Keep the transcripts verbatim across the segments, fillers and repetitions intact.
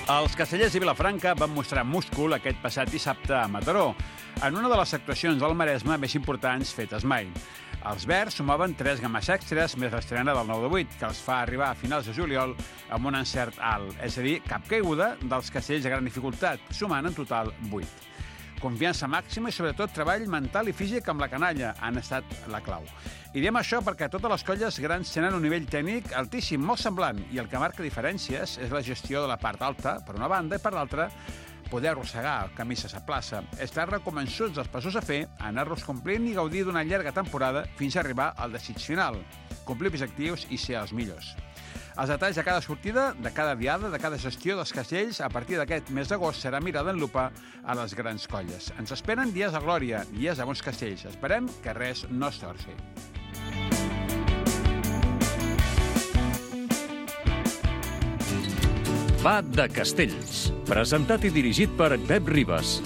Els castellers i Vilafranca van mostrar múscul aquest passat dissabte a Mataró, en una de les actuacions del Maresme més importants fetes mai. Els verds sumaven tres games extres més l'estrena del nou de vuit, que els fa arribar a finals de juliol amb un encert alt, és a dir, cap caiguda dels castells de gran dificultat, sumant en total vuit. Confiança màxima i, sobretot, treball mental i físic amb la canalla han estat la clau. I diem això perquè totes les colles grans tenen un nivell tècnic altíssim, molt semblant, i el que marca diferències és la gestió de la part alta, per una banda, i per l'altra, poder arrossegar camises a plaça. Estar reconvençuts dels passos a fer, anar-los complint i gaudir d'una llarga temporada fins a arribar al desig final, complir objectius i ser els millors. Els detalls de cada sortida, de cada diada, de cada gestió dels castells, a partir d'aquest mes d'agost serà mirada en lupa a les grans colles. Ens esperen dies de glòria, dies de bons castells. Esperem que res no es torci. Va de Castells, presentat i dirigit per Pep Ribas.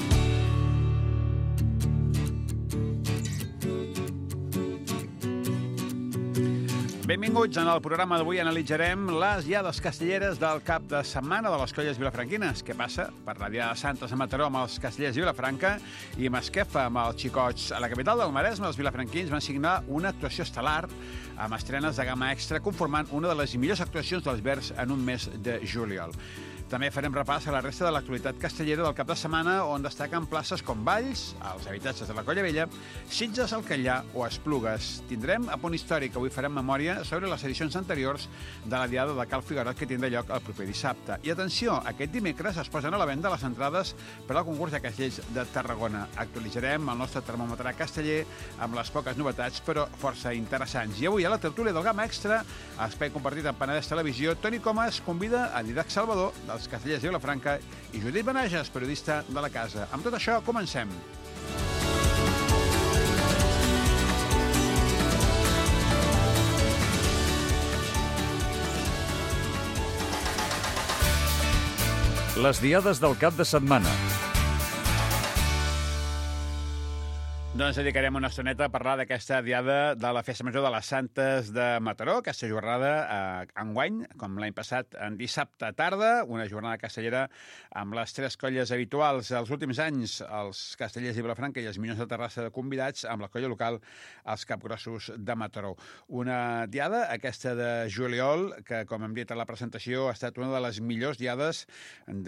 Benvinguts. En el programa d'avui analitzarem les diades castelleres del cap de setmana de les colles vilafranquines. Què passa per la Diada de Santes a Mataró amb els castellers de Vilafranca i Masquefa amb els xicots. A la capital del Maresme, els vilafranquins van signar una actuació estel·lar amb estrenes de gamma extra, conformant una de les millors actuacions dels verds en un mes de juliol. També farem repàs a la resta de l'actualitat castellera del cap de setmana, on destaquen places com Valls, els habitatges de la Colla Vella, Sitges, el Catllà o Esplugues. Tindrem a punt històric, avui farem memòria sobre les edicions anteriors de la Diada de Cal Figuerot, que tindrà lloc el proper dissabte. I atenció, aquest dimecres es posen a la venda les entrades per al concurs de castells de Tarragona. Actualitzarem el nostre termòmetre casteller amb les poques novetats, però força interessants. I avui a la tertúlia del Gamma Extra, espai compartit amb Penedès Televisió, Toni Comas convida a Didac Salvador, dels castellers de Vilafranca, i Judit Benages, periodista de la casa. Amb tot això, comencem. Les diades del cap de setmana. Doncs dedicarem una estoneta a parlar d'aquesta diada de la Festa Major de les Santes de Mataró, aquesta jornada eh, enguany, com l'any passat, en dissabte tarda, una jornada castellera amb les tres colles habituals. Els últims anys, els castellers de Vilafranca i els Minyons de Terrassa de convidats, amb la colla local, els Capgrossos de Mataró. Una diada, aquesta de juliol, que, com hem dit a la presentació, ha estat una de les millors diades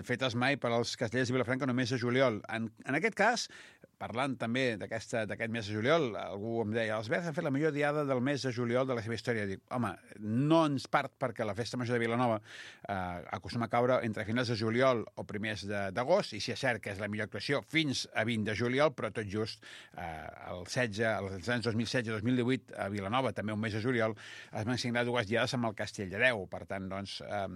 fetes mai per als castellers de Vilafranca només de juliol. En, en aquest cas, parlant també d'aquest mes de juliol, algú em deia, els verds han fet la millor diada del mes de juliol de la seva història. Dic, home, no ens part perquè la Festa Major de Vilanova eh, acostuma a caure entre finals de juliol o primers d'agost, i si és cert que és la millor actuació fins a vint de juliol, però tot just eh, el setze, els anys dos mil setze dos mil divuit a Vilanova, també un mes de juliol, es van signar dues diades amb el Castell de Déu. Per tant, doncs, eh,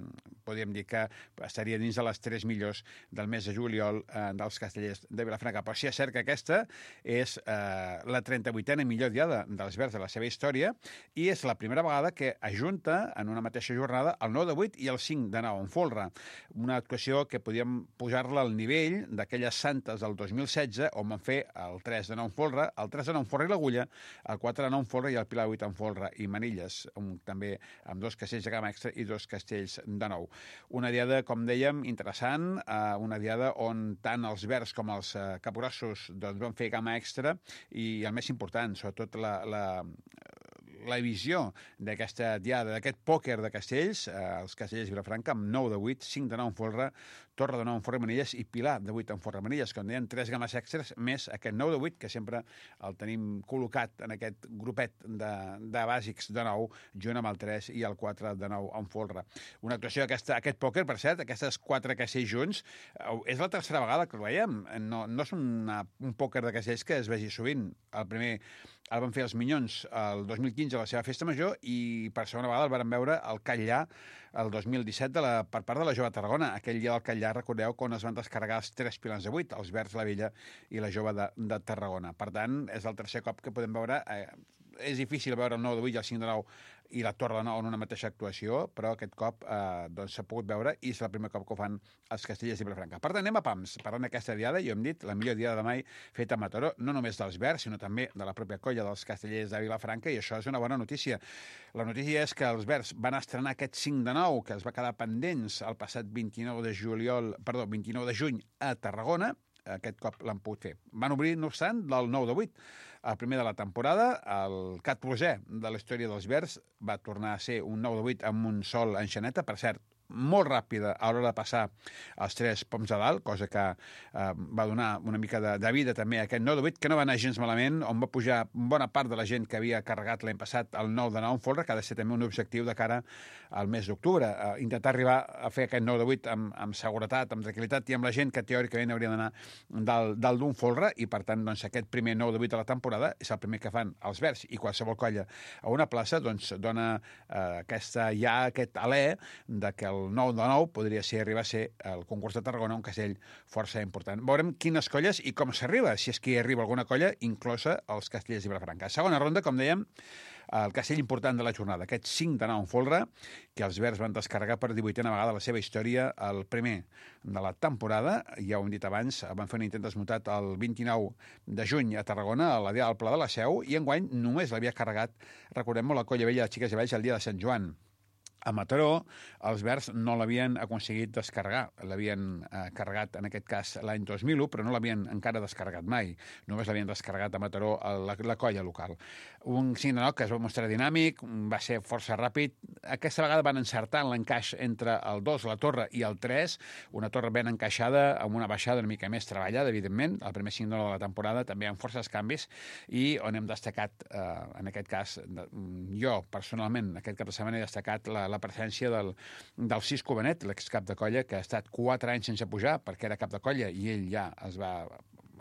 podríem dir que estaria dins de les tres millors del mes de juliol eh, dels castellers de Vilafranca. Però sí és cert que aquesta és eh, la trenta-vuitena millor diada dels verds de la seva història i és la primera vegada que ajunta en una mateixa jornada el nou de vuit i el cinc de nou en folre. Una actuació que podíem posar-la al nivell d'aquelles santes del dos mil setze on van fer el tres de nou en folre, el tres de nou en folre i l'Agulla, el quatre de nou en folre i el Pilar vuit en folre i Manilles, un, també amb dos castells de gamma extra i dos castells de nou. Una diada, com dèiem, interessant, eh, una diada on tant els verds com els eh, capgrossos doncs, van fer gamma extra i el més important, sobretot la, la, la visió d'aquesta diada, d'aquest pòquer de castells, eh, els castellers de Vilafranca, amb nou de vuit, cinc de nou en folre, Torre de nou en folre Manilles i Pilar de vuit en folre Manilles, com deien, tres games extres, més aquest nou de vuit, que sempre el tenim col·locat en aquest grupet de, de bàsics de nou, junt amb el tres i el quatre de nou en folre. Una actuació d'aquest pòquer, per cert, aquestes quatre castells junts, és la tercera vegada que el veiem. No, no és una, un pòquer de castells que es vegi sovint. El primer el van fer els Minyons el dos mil quinze a la seva festa major i per segona vegada el van veure al Catllà el dos mil disset de la, per part de la Jove Tarragona. Aquell dia del Catllà, recordeu, quan es van descarregar els tres pilans de vuit, els verds, la Vella i la Jove de, de Tarragona. Per tant, és el tercer cop que podem veure eh, és difícil veure el nou de vuit i el cinc de nou i la Torre de Nou en una mateixa actuació, però aquest cop eh, doncs s'ha pogut veure i és el primer cop que ho fan els Castellers i Vilafranca. Per tant, anem a pams. Parlant d'aquesta diada, jo hem dit, la millor diada de mai feta a Mataró, no només dels Verds, sinó també de la pròpia colla dels Castellers de Vilafranca, i això és una bona notícia. La notícia és que els Verds van estrenar aquest cinc de nou, que es va quedar pendents el passat vint-i-nou de juliol, perdó, vint-i-nou de juny a Tarragona. Aquest cop l'han pogut fer. Van obrir, no obstant, del nou de vuit. El primer de la temporada, el catorzè de la història dels Verds, va tornar a ser un nou de vuit amb un sol enxaneta, per cert, molt ràpida a l'hora de passar els tres poms de dalt, cosa que eh, va donar una mica de, de vida també a aquest nou de vuit, que no va anar gens malament, on va pujar bona part de la gent que havia carregat l'any passat el nou de nou en folre, que ha de ser també un objectiu de cara al mes d'octubre. Eh, intentar arribar a fer aquest nou de vuit amb, amb seguretat, amb tranquil·litat i amb la gent que teòricament hauria d'anar dalt, dalt d'un folre, i per tant doncs, aquest primer nou de vuit de la temporada és el primer que fan els Verds i qualsevol colla a una plaça, doncs dona eh, aquesta, ja aquest alè de que el el nou de nou podria ser arribar a ser el concurs de Tarragona, un castell força important. Veurem quines colles i com s'arriba, si és que hi arriba alguna colla, inclosa els Castellers i Vilafranca. Segona ronda, com dèiem, el castell important de la jornada, aquest cinc de nou en folre, que els Verds van descarregar per divuitena vegada la seva història, el primer de la temporada, ja ho hem dit abans, van fer un intent desmuntat el vint-i-nou de juny a Tarragona, a la dia del Pla de la Seu, i enguany només l'havia carregat, recordem-ho, la colla vella de Xiques i Valls el dia de Sant Joan. A Mataró, els Verds no l'havien aconseguit descarregar. L'havien eh, carregat, en aquest cas, l'any dos mil u, però no l'havien encara descarregat mai. Només l'havien descarregat a Mataró a la, la colla local. Un cinc de nou que es va mostrar dinàmic, va ser força ràpid. Aquesta vegada van encertar en l'encaix entre el dos, la torre, i el tres, una torre ben encaixada, amb una baixada una mica més treballada, evidentment, el primer cinc de nou de la temporada, també amb forces canvis, i on hem destacat, eh, en aquest cas, jo, personalment, aquest cap de setmana he destacat la la presència del, del Cisco Benet, l'excap de colla, que ha estat quatre anys sense pujar, perquè era cap de colla, i ell ja es va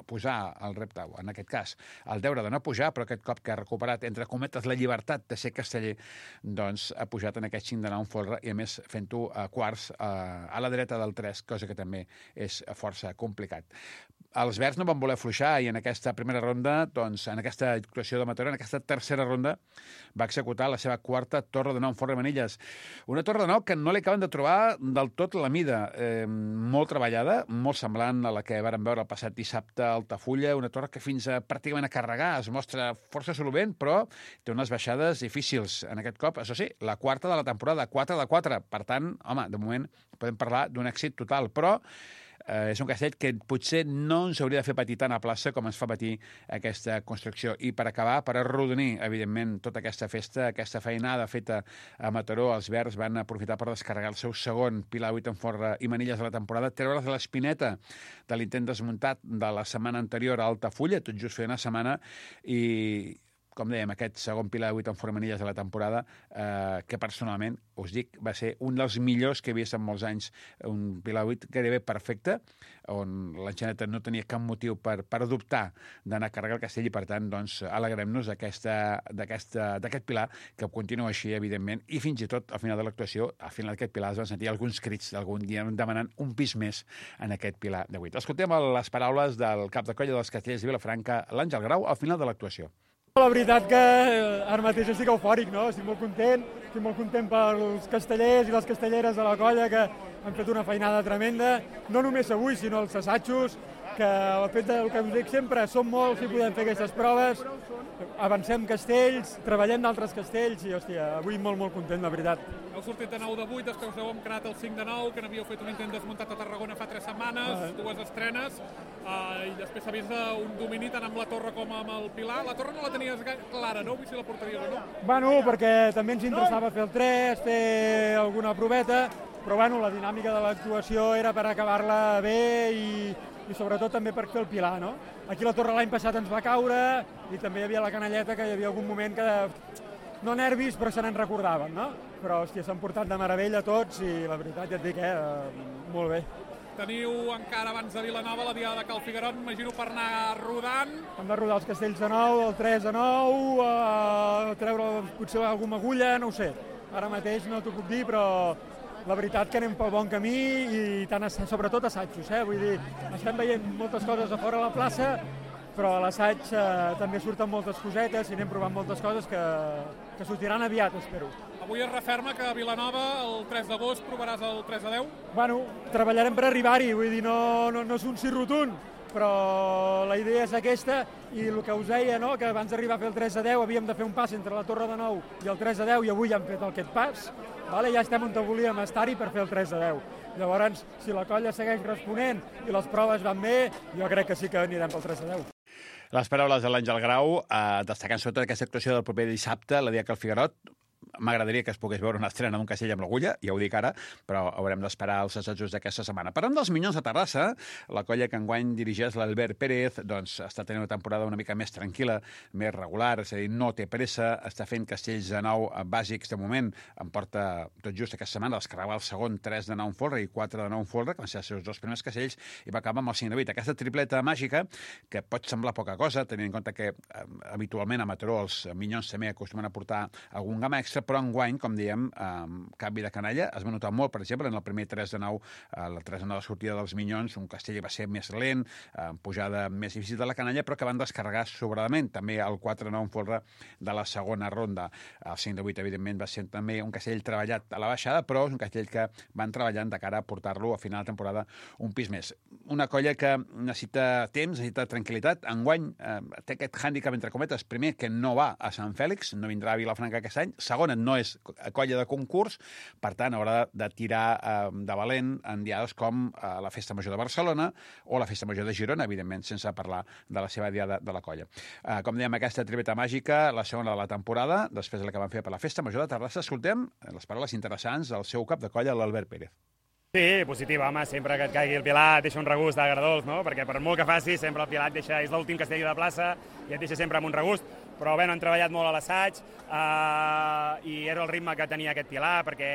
posar el repte, en aquest cas, el deure de no pujar, però aquest cop que ha recuperat, entre cometes, la llibertat de ser casteller, doncs ha pujat en aquest cinc de nou en folre, i a més fent-ho a quarts a, a la dreta del tres, cosa que també és força complicat. Els Verds no van voler fluixar i en aquesta primera ronda, doncs, en aquesta actuació de Mataró, en aquesta tercera ronda, va executar la seva quarta torre de nou en folre de Manilles. Una torre de nou que no li acaben de trobar del tot la mida. Eh, molt treballada, molt semblant a la que vàrem veure el passat dissabte a Altafulla, una torre que fins a pràcticament a carregar es mostra força solvent, però té unes baixades difícils. En aquest cop, això sí, la quarta de la temporada, quatre de quatre. Per tant, home, de moment podem parlar d'un èxit total, però Eh, és un castell que potser no ens hauria de fer patir tant a plaça com ens fa patir aquesta construcció. I per acabar, per arrodonir, evidentment, tota aquesta festa, aquesta feinada feta a Mataró, els Verds van aprofitar per descarregar el seu segon pilar vuit en folre i manilles de la temporada, treure's de l'espineta de l'intent desmuntat de la setmana anterior a Altafulla, tot just feia una setmana, i com dèiem, aquest segon pilar de vuit en formanilles de la temporada, eh, que personalment, us dic, va ser un dels millors que he vist en molts anys, un pilar de vuit gairebé perfecte, on l'enxaneta no tenia cap motiu per, per dubtar d'anar a carregar el castell i, per tant, doncs, alegrem-nos d'aquest pilar, que continua així, evidentment, i fins i tot, al final de l'actuació, al final d'aquest pilar es van sentir alguns crits d'algun dia demanant un pis més en aquest pilar de vuit. Escoltem les paraules del cap de colla dels Castellers de Vilafranca, l'Àngel Grau, al final de l'actuació. La veritat que ara mateix estic eufòric, no? Estic molt content, estic molt content pels castellers i les castelleres de la colla que han fet una feinada tremenda, no només avui, sinó els assajos, que el fet del que us dic sempre, som molts i podem fer aquestes proves, avancem castells, treballem d'altres castells i, hòstia, avui molt, molt content, la veritat. Heu sortit de nou de vuit, després heu encarat el cinc de nou, que n'havíeu fet un intent desmuntat a Tarragona fa tres setmanes, ah. dues estrenes, uh, i després s'ha vist un domini tant amb la torre com amb el pilar. La torre no la tenies clara, no? Vull si la portaries o no? Bueno, perquè també ens interessava fer el tres, fer alguna proveta, però bueno, la dinàmica de l'actuació era per acabar-la bé i, i sobretot també per fer el pilar, no? Aquí la torre l'any passat ens va caure i també hi havia la canalleta, que hi havia algun moment que, no nervis, però se n'en recordaven, no? Però, hòstia, s'han portat de meravella tots i la veritat, ja et dic, eh, molt bé. Teniu encara abans de Vilanova la diada de Cal Figuerot, m'imagino per anar rodant. Hem de rodar els castells de nou, el tres de nou, eh, treure potser alguna agulla, no ho sé. Ara mateix no t'ho puc dir, però la veritat que anem pel bon camí i tant, sobretot assajos, eh? Vull dir, estem veient moltes coses a fora de la plaça, però a l'assaig eh, també surten moltes cosetes i anem provant moltes coses que, que sortiran aviat, espero. Avui es referma que a Vilanova el tres d'agost provaràs el tres a deu? Bueno, treballarem per arribar-hi, vull dir, no, no, no és un sí rotund, però la idea és aquesta i el que us deia, no? Que abans d'arribar a fer el tres a deu havíem de fer un pas entre la Torre de Nou i el tres a deu i avui ja hem fet aquest pas, vale? Ja estem on volíem estar-hi per fer el tres a deu. Llavors, si la colla segueix responent i les proves van bé, jo crec que sí que anirem pel tres a deu. Les paraules de l'Àngel Grau, eh, destacant sobretot aquesta actuació del proper dissabte, la dia que el Figuerot. M'agradaria que es pogués veure una estrena d'un castell amb l'agulla, ja ho dic ara, però haurem d'esperar els assajos d'aquesta setmana. Parlant dels Minyons de Terrassa, la colla que enguany dirigeix l'Albert Pérez doncs, està tenint una temporada una mica més tranquil·la, més regular, és a dir, no té pressa, està fent castells de nou bàsics de moment, em porta tot just aquesta setmana, descarregava el segon tres de nou en folre i quatre de nou en folre, que van ser els seus dos primers castells, i va acabar amb el cinc de vuit. Aquesta tripleta màgica, que pot semblar poca cosa, tenint en compte que eh, habitualment a Mataró els Minyons també acostumen a portar algun gamma extra, però enguany, com diem, eh, canvi de canalla. Es va notar molt, per exemple, en el primer tres de nou, eh, la tres de nou de sortida dels Minyons, un castell va ser més lent, eh, pujada més difícil de la canalla, però que van descarregar sobradament. També el quatre de nou en folre de la segona ronda. El cinc de vuit, evidentment, va ser també un castell treballat a la baixada, però és un castell que van treballant de cara a portar-lo a final de temporada un pis més. Una colla que necessita temps, necessita tranquil·litat. Enguany eh, té aquest hàndicap, entre cometes, primer, que no va a Sant Fèlix, no vindrà a Vilafranca aquest any. Segona, no és colla de concurs, per tant, haurà de tirar eh, de valent en diades com eh, la Festa Major de Barcelona o la Festa Major de Girona, evidentment, sense parlar de la seva diada de la colla. Eh, com dèiem, aquesta tripleta màgica, la segona de la temporada, després de la que van fer per la Festa Major de Terrassa, escoltem les paraules interessants del seu cap de colla, l'Albert Pérez. Sí, positiva, home, sempre que et caigui el Pilar et deixa un regust d'agradolç, no? Perquè per molt que facis, sempre el Pilar et deixa, és l'últim castell de la plaça i et deixa sempre amb un regust. Però bé, no han treballat molt a l'assaig eh, i era el ritme que tenia aquest Pilar, perquè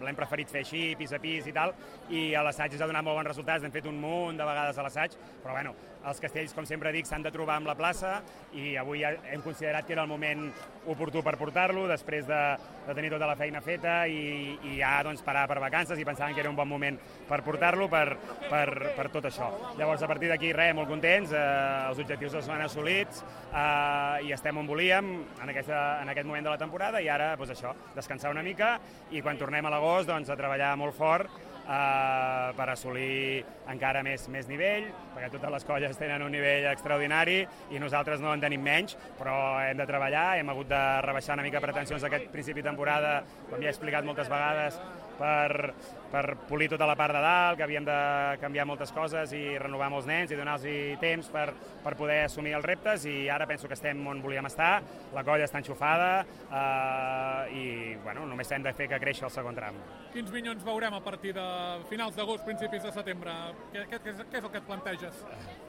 l'hem preferit fer així, pis a pis i tal, i a l'assaig ens ha donat molt bons resultats, hem fet un munt de vegades a l'assaig, però bueno, els castells, com sempre dic, s'han de trobar amb la plaça i avui ja hem considerat que era el moment oportú per portar-lo, després de, de tenir tota la feina feta i, i ja doncs, parar per vacances i pensàvem que era un bon moment per portar-lo per, per, per tot això. Llavors, a partir d'aquí, res, molt contents, eh, els objectius els han assolits eh, i estem on volíem en, aquesta, en aquest moment de la temporada i ara, doncs això, descansar una mica i quan tornem a l'agost, doncs, a treballar molt fort Uh, per assolir encara més, més nivell, perquè totes les colles tenen un nivell extraordinari i nosaltres no en tenim menys, però hem de treballar, hem hagut de rebaixar una mica pretensions aquest principi de temporada, com ja he explicat moltes vegades, per, per polir tota la part de dalt, que havíem de canviar moltes coses i renovar molts nens i donar-los temps per, per poder assumir els reptes i ara penso que estem on volíem estar, la colla està enxufada uh, i bueno, només hem de fer que creixi el segon tram. Quins Minyons veurem a partir de finals d'agost, principis de setembre? Què, què, què és el que et planteges?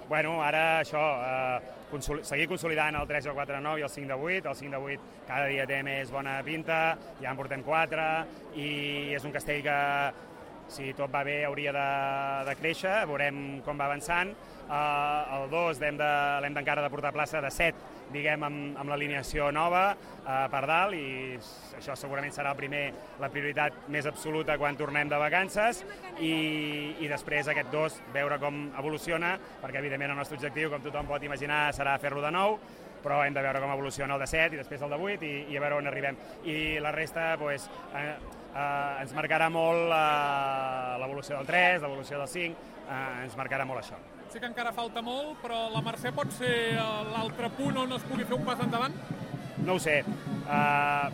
Bueno, ara això, eh, consol seguir consolidant el tres, el quatre, nou i el cinc de vuit. El cinc de vuit cada dia té més bona pinta, ja en portem quatre, i és un castell que, si tot va bé, hauria de, de créixer, veurem com va avançant. Uh, el dos l'hem d'encara de, de portar a plaça de set, diguem, amb, amb l'alineació nova uh, per dalt, i això segurament serà el primer, la prioritat més absoluta quan tornem de vacances, i, i després aquest dos, veure com evoluciona, perquè evidentment el nostre objectiu, com tothom pot imaginar, serà fer-lo de nou, però hem de veure com evoluciona el de set i després el de vuit i, i a veure on arribem. I la resta, pues, eh, eh, ens marcarà molt eh, l'evolució del tres, l'evolució del cinc, eh, ens marcarà molt això. Sí que encara falta molt, però la Mercè pot ser l'altre punt on es pugui fer un pas endavant? No ho sé. Uh,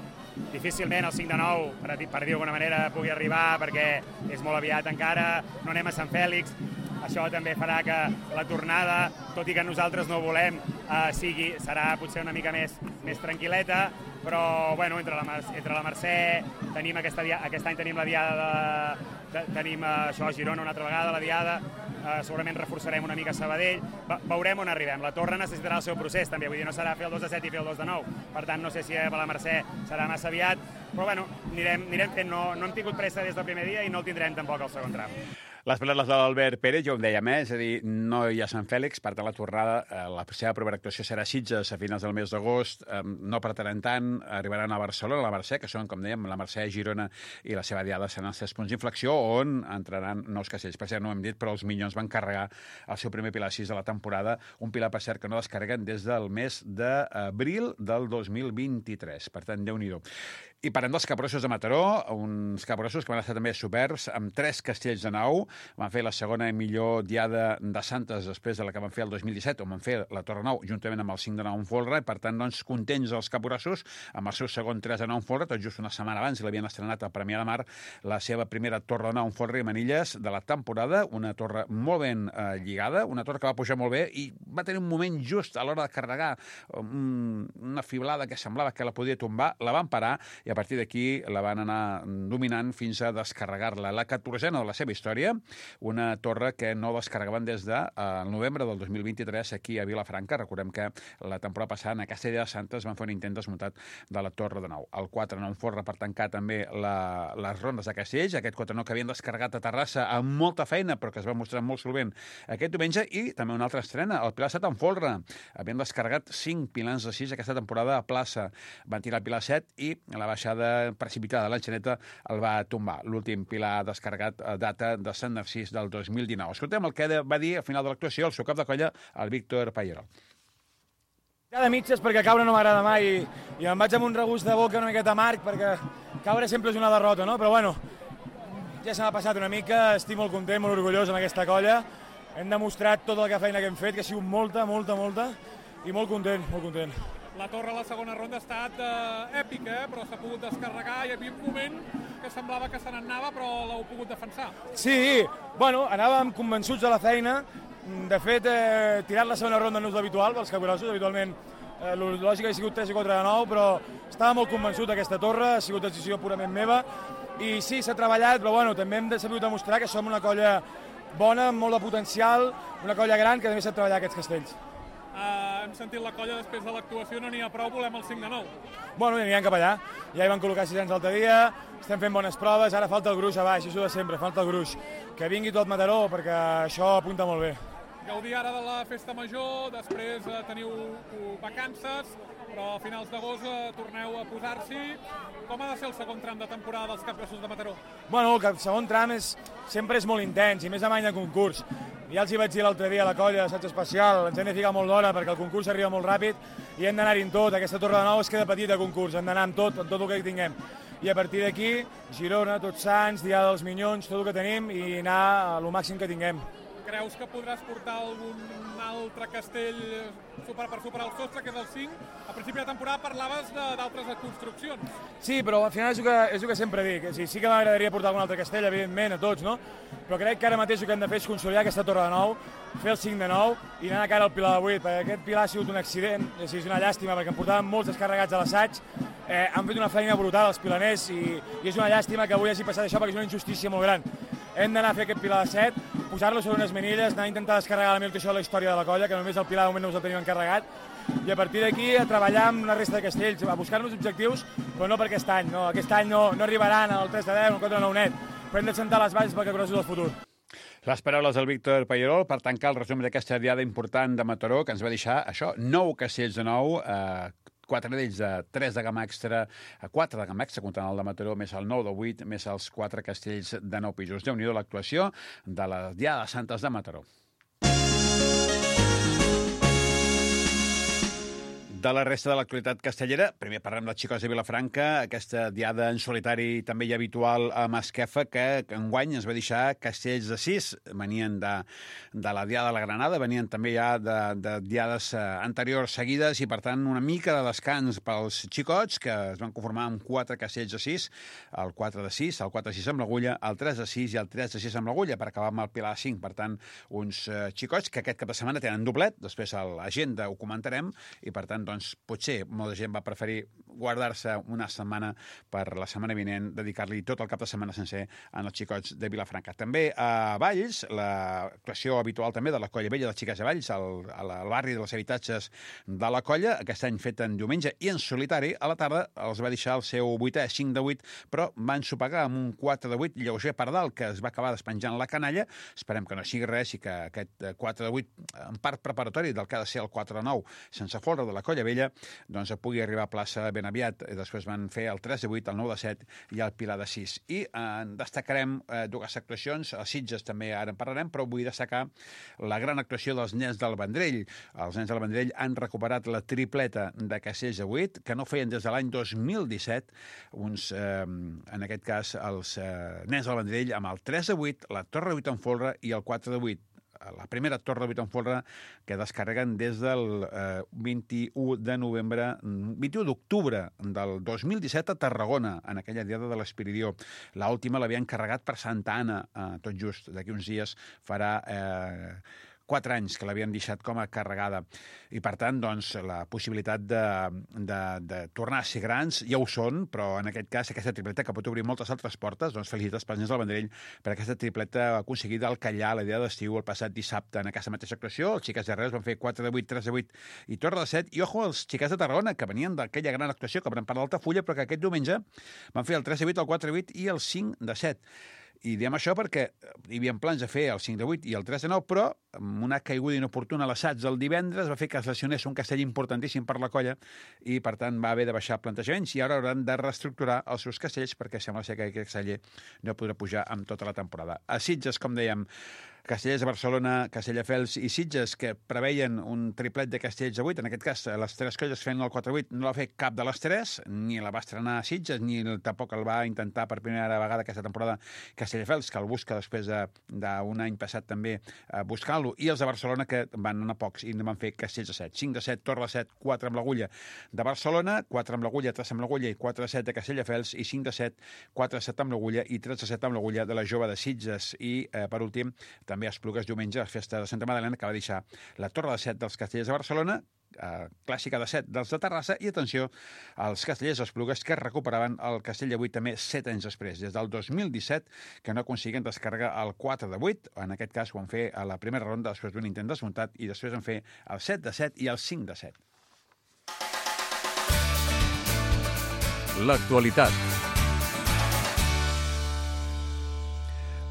difícilment el cinc de nou, per, per dir d'alguna manera, pugui arribar perquè és molt aviat encara, no anem a Sant Fèlix. Això també farà que la tornada, tot i que nosaltres no ho volem, uh, sigui, serà potser una mica més, més tranquil·leta, però bueno, entre la, entre la Mercè, tenim aquesta, aquest any tenim la diada de, de, tenim uh, això a Girona una altra vegada, la diada, uh, segurament reforçarem una mica Sabadell, Ve veurem on arribem. La Torre necessitarà el seu procés també, vull dir, no serà fer el dos de set i fer el dos de nou, per tant no sé si a la Mercè serà massa aviat, però bueno, anirem, anirem fent, no, no hem tingut pressa des del primer dia i no el tindrem tampoc al segon tram. Les paraules de l'Albert Pérez, jo ho dèiem, eh? És a dir, no hi ha Sant Fèlix, per tant la tornada, eh, la seva primera actuació serà a Sitges a finals del mes d'agost, eh, no pretenen tant, arribaran a Barcelona, a la Mercè, que són, com dèiem, la Mercè, Girona i la seva diada seran els tres punts d'inflexió, on entraran nous castells. Per cert, no ho hem dit, però els Minyons van carregar el seu primer pilar sis de la temporada, un pilar, per cert, que no descarreguen des del mes d'abril del dos mil vint-i-tres. Per tant, Déu-n'hi-do. I parlem dels Capgrossos de Mataró, uns Capgrossos que van estar també superbs, amb tres castells de nou. Van fer la segona i millor diada de Santes després de la que van fer el dos mil disset, on van fer la Torre Nou, juntament amb el cinc de nou en folre, i per tant, doncs, contents els Capgrossos, amb el seu segon tres de nou en folre, tot just una setmana abans l'havien estrenat a Premià de Mar, la seva primera Torre de Nou en folre i manilles de la temporada, una torre molt ben eh, lligada, una torre que va pujar molt bé i va tenir un moment just a l'hora de carregar um, una fiblada que semblava que la podia tombar, la van parar i a partir d'aquí la van anar dominant fins a descarregar-la. La catorzena de la seva història, una torre que no descarregaven des del de, eh, novembre del dos mil vint-i-tres aquí a Vilafranca. Recordem que la temporada passada en aquesta idea de Santes van fer un intent desmuntat de la Torre de Nou. El quatre nou en folre per tancar també la, les rondes de castells, aquest quatre nou que havien descarregat a Terrassa amb molta feina però que es va mostrar molt solvent aquest diumenge, i també una altra estrena, el Pilar set en folre. Havien descarregat cinc pilars de sis aquesta temporada a plaça. Van tirar el Pilar set i la baixada precipitada de l'Enxaneta el va tombar. L'últim pilar descarregat data de Sant Narcís del dos mil dinou. Escoltem el que va dir al final de l'actuació el seu cap de colla, el Víctor Pallerol. De mitges perquè caure no m'agrada mai i em vaig amb un regust de boca una miqueta amarg perquè caure sempre és una derrota, no? Però bueno, ja se m'ha passat una mica, estic molt content, molt orgullós amb aquesta colla. Hem demostrat tota la feina que hem fet, que ha sigut molta, molta, molta, i molt content, molt content. La torre a la segona ronda ha estat eh, èpica, eh? Però s'ha pogut descarregar. Hi havia un moment que semblava que se n'anava, però l'heu pogut defensar. Sí, bueno, anàvem convençuts de la feina. De fet, eh, tirar la segona ronda no és l'habitual pels Capgrossos. Habitualment, eh, el lògic ha sigut tres i quatre de nou, però estava molt convençut d'aquesta torre, ha sigut decisió purament meva. I sí, s'ha treballat, però bueno, també hem de saber demostrar que som una colla bona, amb molt de potencial, una colla gran que també sap treballar aquests castells. Uh, hem sentit la colla després de l'actuació, no n'hi ha prou, volem el cinc de nou. Bueno, i anirem cap allà. Ja hi van col·locar sis anys l'altre dia, estem fent bones proves, ara falta el gruix a baix, això de sempre, falta el gruix. Que vingui tot Mataró, perquè això apunta molt bé. Gaudir ara de la festa major, després eh, teniu vacances, però a finals d'agost eh, torneu a posar-s'hi. Com ha de ser el segon tram de temporada dels Capgrossos de Mataró? Bueno, el segon tram és, sempre és molt intens, i més amb any de concurs. Ja els hi vaig dir l'altre dia a la colla d'assaig especial, ens hem de ficar molt d'hora perquè el concurs arriba molt ràpid i hem d'anar-hi en tot. Aquesta Torre de Nou es queda petita de concurs, hem d'anar amb tot, amb tot el que tinguem. I a partir d'aquí, Girona, Tots Sants, Diada dels Minyons, tot el que tenim i anar a lo màxim que tinguem. Creus que podràs portar algun altre castell super, per superar el sostre, que és el cinc? A principi de temporada parlaves d'altres construccions. Sí, però al final és el que, és el que sempre dic. Sí, sí que m'agradaria portar algun altre castell, evidentment, a tots, no? Però crec que ara mateix el que hem de fer és consolidar aquesta Torre de Nou, fer el cinc de nou i anar a cara al Pilar de vuit, perquè aquest Pilar ha sigut un accident, és una llàstima, perquè em portaven molts descarregats a l'assaig, eh, han fet una feina brutal els pilaners i, i és una llàstima que avui hagi passat això perquè és una injustícia molt gran. Hem d'anar a fer aquest Pilar de set, posar-lo sobre unes manilles, anar a intentar descarregar la millor actuació de la història de la colla, que només el Pilar de moment no us el tenim encarregat, i a partir d'aquí a treballar amb la resta de castells, a buscar-nos objectius, però no per aquest any, no, aquest any no, no arribaran al tres de deu, al quatre de nou net, però hem de sentar les bases pel Capgrossos del futur. Les paraules del Víctor Pallerol per tancar el resum d'aquesta diada important de Mataró, que ens va deixar això, nou castells de nou, eh, quatre d'ells de tres de gamma extra, quatre de gamma extra, comptant el de Mataró, més el nou de vuit, més els quatre castells de nou pisos. Déu-n'hi-do l'actuació de la Diada de Santes de Mataró. De la resta de l'actualitat castellera, primer parlem dels Xicots de Vilafranca, aquesta diada en solitari també ja habitual a Masquefa, que enguany ens va deixar castells de sis, venien de, de la diada de la Granada, venien també ja de, de diades anteriors seguides i, per tant, una mica de descans pels Xicots, que es van conformar amb quatre castells de sis, el quatre de sis, el quatre de sis amb l'agulla, el tres de sis i el tres de sis amb l'agulla, per acabar amb el Pilar cinc. Per tant, uns Xicots que aquest cap de setmana tenen doblet, després a l'agenda ho comentarem, i, per tant, doncs, potser molta gent va preferir guardar-se una setmana per la setmana vinent, dedicar-li tot el cap de setmana sencer en els xicots de Vilafranca. També a Valls, l'actuació habitual també de la Colla Vella dels Xiquets de Valls, al, al barri dels habitatges de la Colla, aquest any fet en diumenge i en solitari, a la tarda els va deixar el seu vuitè, cinc de vuit, però van sopegar amb un quatre de vuit lleuger per dalt, que es va acabar despenjant la canalla. Esperem que no sigui res i que aquest quatre de vuit, en part preparatori del que ha de ser el quatre de nou, sense folre de la Colla Vella, doncs pugui arribar a plaça ben aviat. Després van fer el tres de vuit, el nou de set i el Pilar de sis. I eh, destacarem eh, dues actuacions, a Sitges també ara en parlarem, però vull destacar la gran actuació dels nens del Vendrell. Els nens del Vendrell han recuperat la tripleta de castells de vuit, que no feien des de l'any dos mil disset, uns, eh, en aquest cas, els eh, nens del Vendrell amb el tres de vuit, la torre de vuit en folre i el quatre de vuit. La primera torre de vuit en folre que descarreguen des del eh, vint-i-u de novembre, vint-i-u d'octubre del dos mil disset a Tarragona, en aquella diada de l'Espiridió. L'última l'havien carregat per Santa Anna, eh, tot just d'aquí uns dies farà eh, quatre anys que l'havien deixat com a carregada. I, per tant, doncs, la possibilitat de, de, de tornar a ser grans ja ho són, però en aquest cas aquesta tripleta que pot obrir moltes altres portes, doncs felicitats pels nens del Vendrell per aquesta tripleta aconseguida al Callà la dia d'estiu el passat dissabte en aquesta mateixa actuació. Els xiquets de Reus van fer quatre de vuit, tres de vuit i torre de set. I ojo als xiquets de Tarragona, que venien d'aquella gran actuació que van per l'Altafulla, però que aquest diumenge van fer el tres de vuit, el quatre de vuit i el cinc de set. I diem això perquè hi havia plans de fer el cinc de vuit i el tres de nou, però amb una caiguda inoportuna a l'assaig del divendres va fer que es lesionés un castell importantíssim per la colla i, per tant, va haver de baixar plantejaments i ara hauran de reestructurar els seus castells perquè sembla ser que aquest casteller no podrà pujar amb tota la temporada. A Sitges, com dèiem, Castellers de Barcelona, Castelldefels i Sitges, que preveien un triplet de castells de vuit. En aquest cas, les tres colles fent el quatre vuit no la va fer cap de les tres, ni la va estrenar a Sitges, ni tampoc el va intentar per primera vegada aquesta temporada Castelldefels, que el busca després d'un any passat també buscant-lo, i els de Barcelona, que van anar pocs i van fer castells de set. cinc de set, torre de set, quatre amb l'agulla de Barcelona, quatre amb l'agulla, tres amb l'agulla i quatre de set de Castelldefels, i cinc de set, quatre de set amb l'agulla i tres de set amb l'agulla de la Jove de Sitges. I, eh, per últim, també a Esplugues diumenge, a la festa de Santa Madalena, que va deixar la torre de set dels Castellers de Barcelona, eh, clàssica de set dels de Terrassa, i atenció als Castellers d'Esplugues, que recuperaven el castell de vuit també set anys després, des del dos mil disset, que no aconseguien descarregar el quatre de vuit, en aquest cas ho van fer a la primera ronda després d'un intent desmuntat, i després van fer el set de set i el cinc de set. L'actualitat.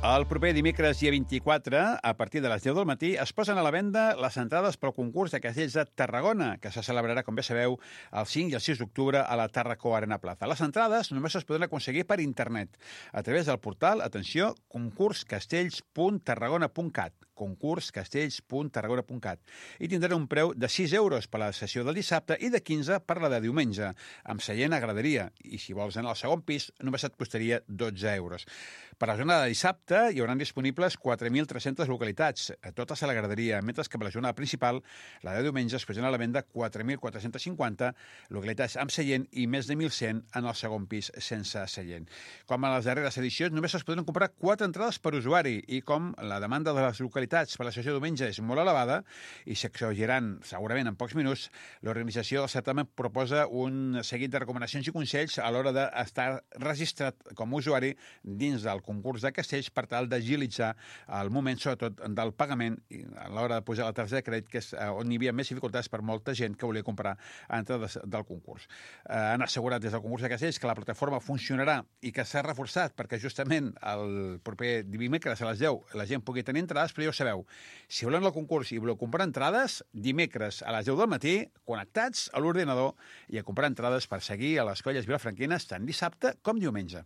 El proper dimecres, dia vint-i-quatre, a partir de les deu del matí, es posen a la venda les entrades pel concurs de castells de Tarragona, que se celebrarà, com bé sabeu, el cinc i el sis d'octubre a la Tàrraco Arena Plaza. Les entrades només es poden aconseguir per internet, a través del portal, atenció, concurscastells punt tarragona punt cat, concurscastells punt tarragona punt cat, i tindran un preu de sis euros per la sessió del dissabte i de quinze per la de diumenge, amb seient a graderia, i si vols anar al segon pis només et costaria dotze euros. Per la jornada de dissabte hi hauran disponibles quatre mil tres-centes localitats, totes a la graderia, mentre que per la jornada principal, la de diumenge, es posen a la venda quatre mil quatre-cents cinquanta localitats amb seient i més de mil cent en el segon pis sense seient. Com en les darreres edicions, només es poden comprar quatre entrades per usuari, i com la demanda de les localitats per la sessió de diumenge és molt elevada i s'exauriran segurament en pocs minuts, l'organització del certamen proposa un seguit de recomanacions i consells a l'hora d'estar registrat com a usuari dins del concurs de castells per tal d'agilitzar el moment, sobretot, del pagament i a l'hora de posar la targeta de crèdit, que és on hi havia més dificultats per molta gent que volia comprar entrades del concurs. Eh, han assegurat des del concurs de castells que la plataforma funcionarà i que s'ha reforçat perquè justament el proper dimecres a les deu la gent pugui tenir entrades, però ja ho sabeu, si voleu el concurs i voleu comprar entrades, dimecres a les deu del matí, connectats a l'ordinador i a comprar entrades per seguir a les colles vilafranquines tant dissabte com diumenge.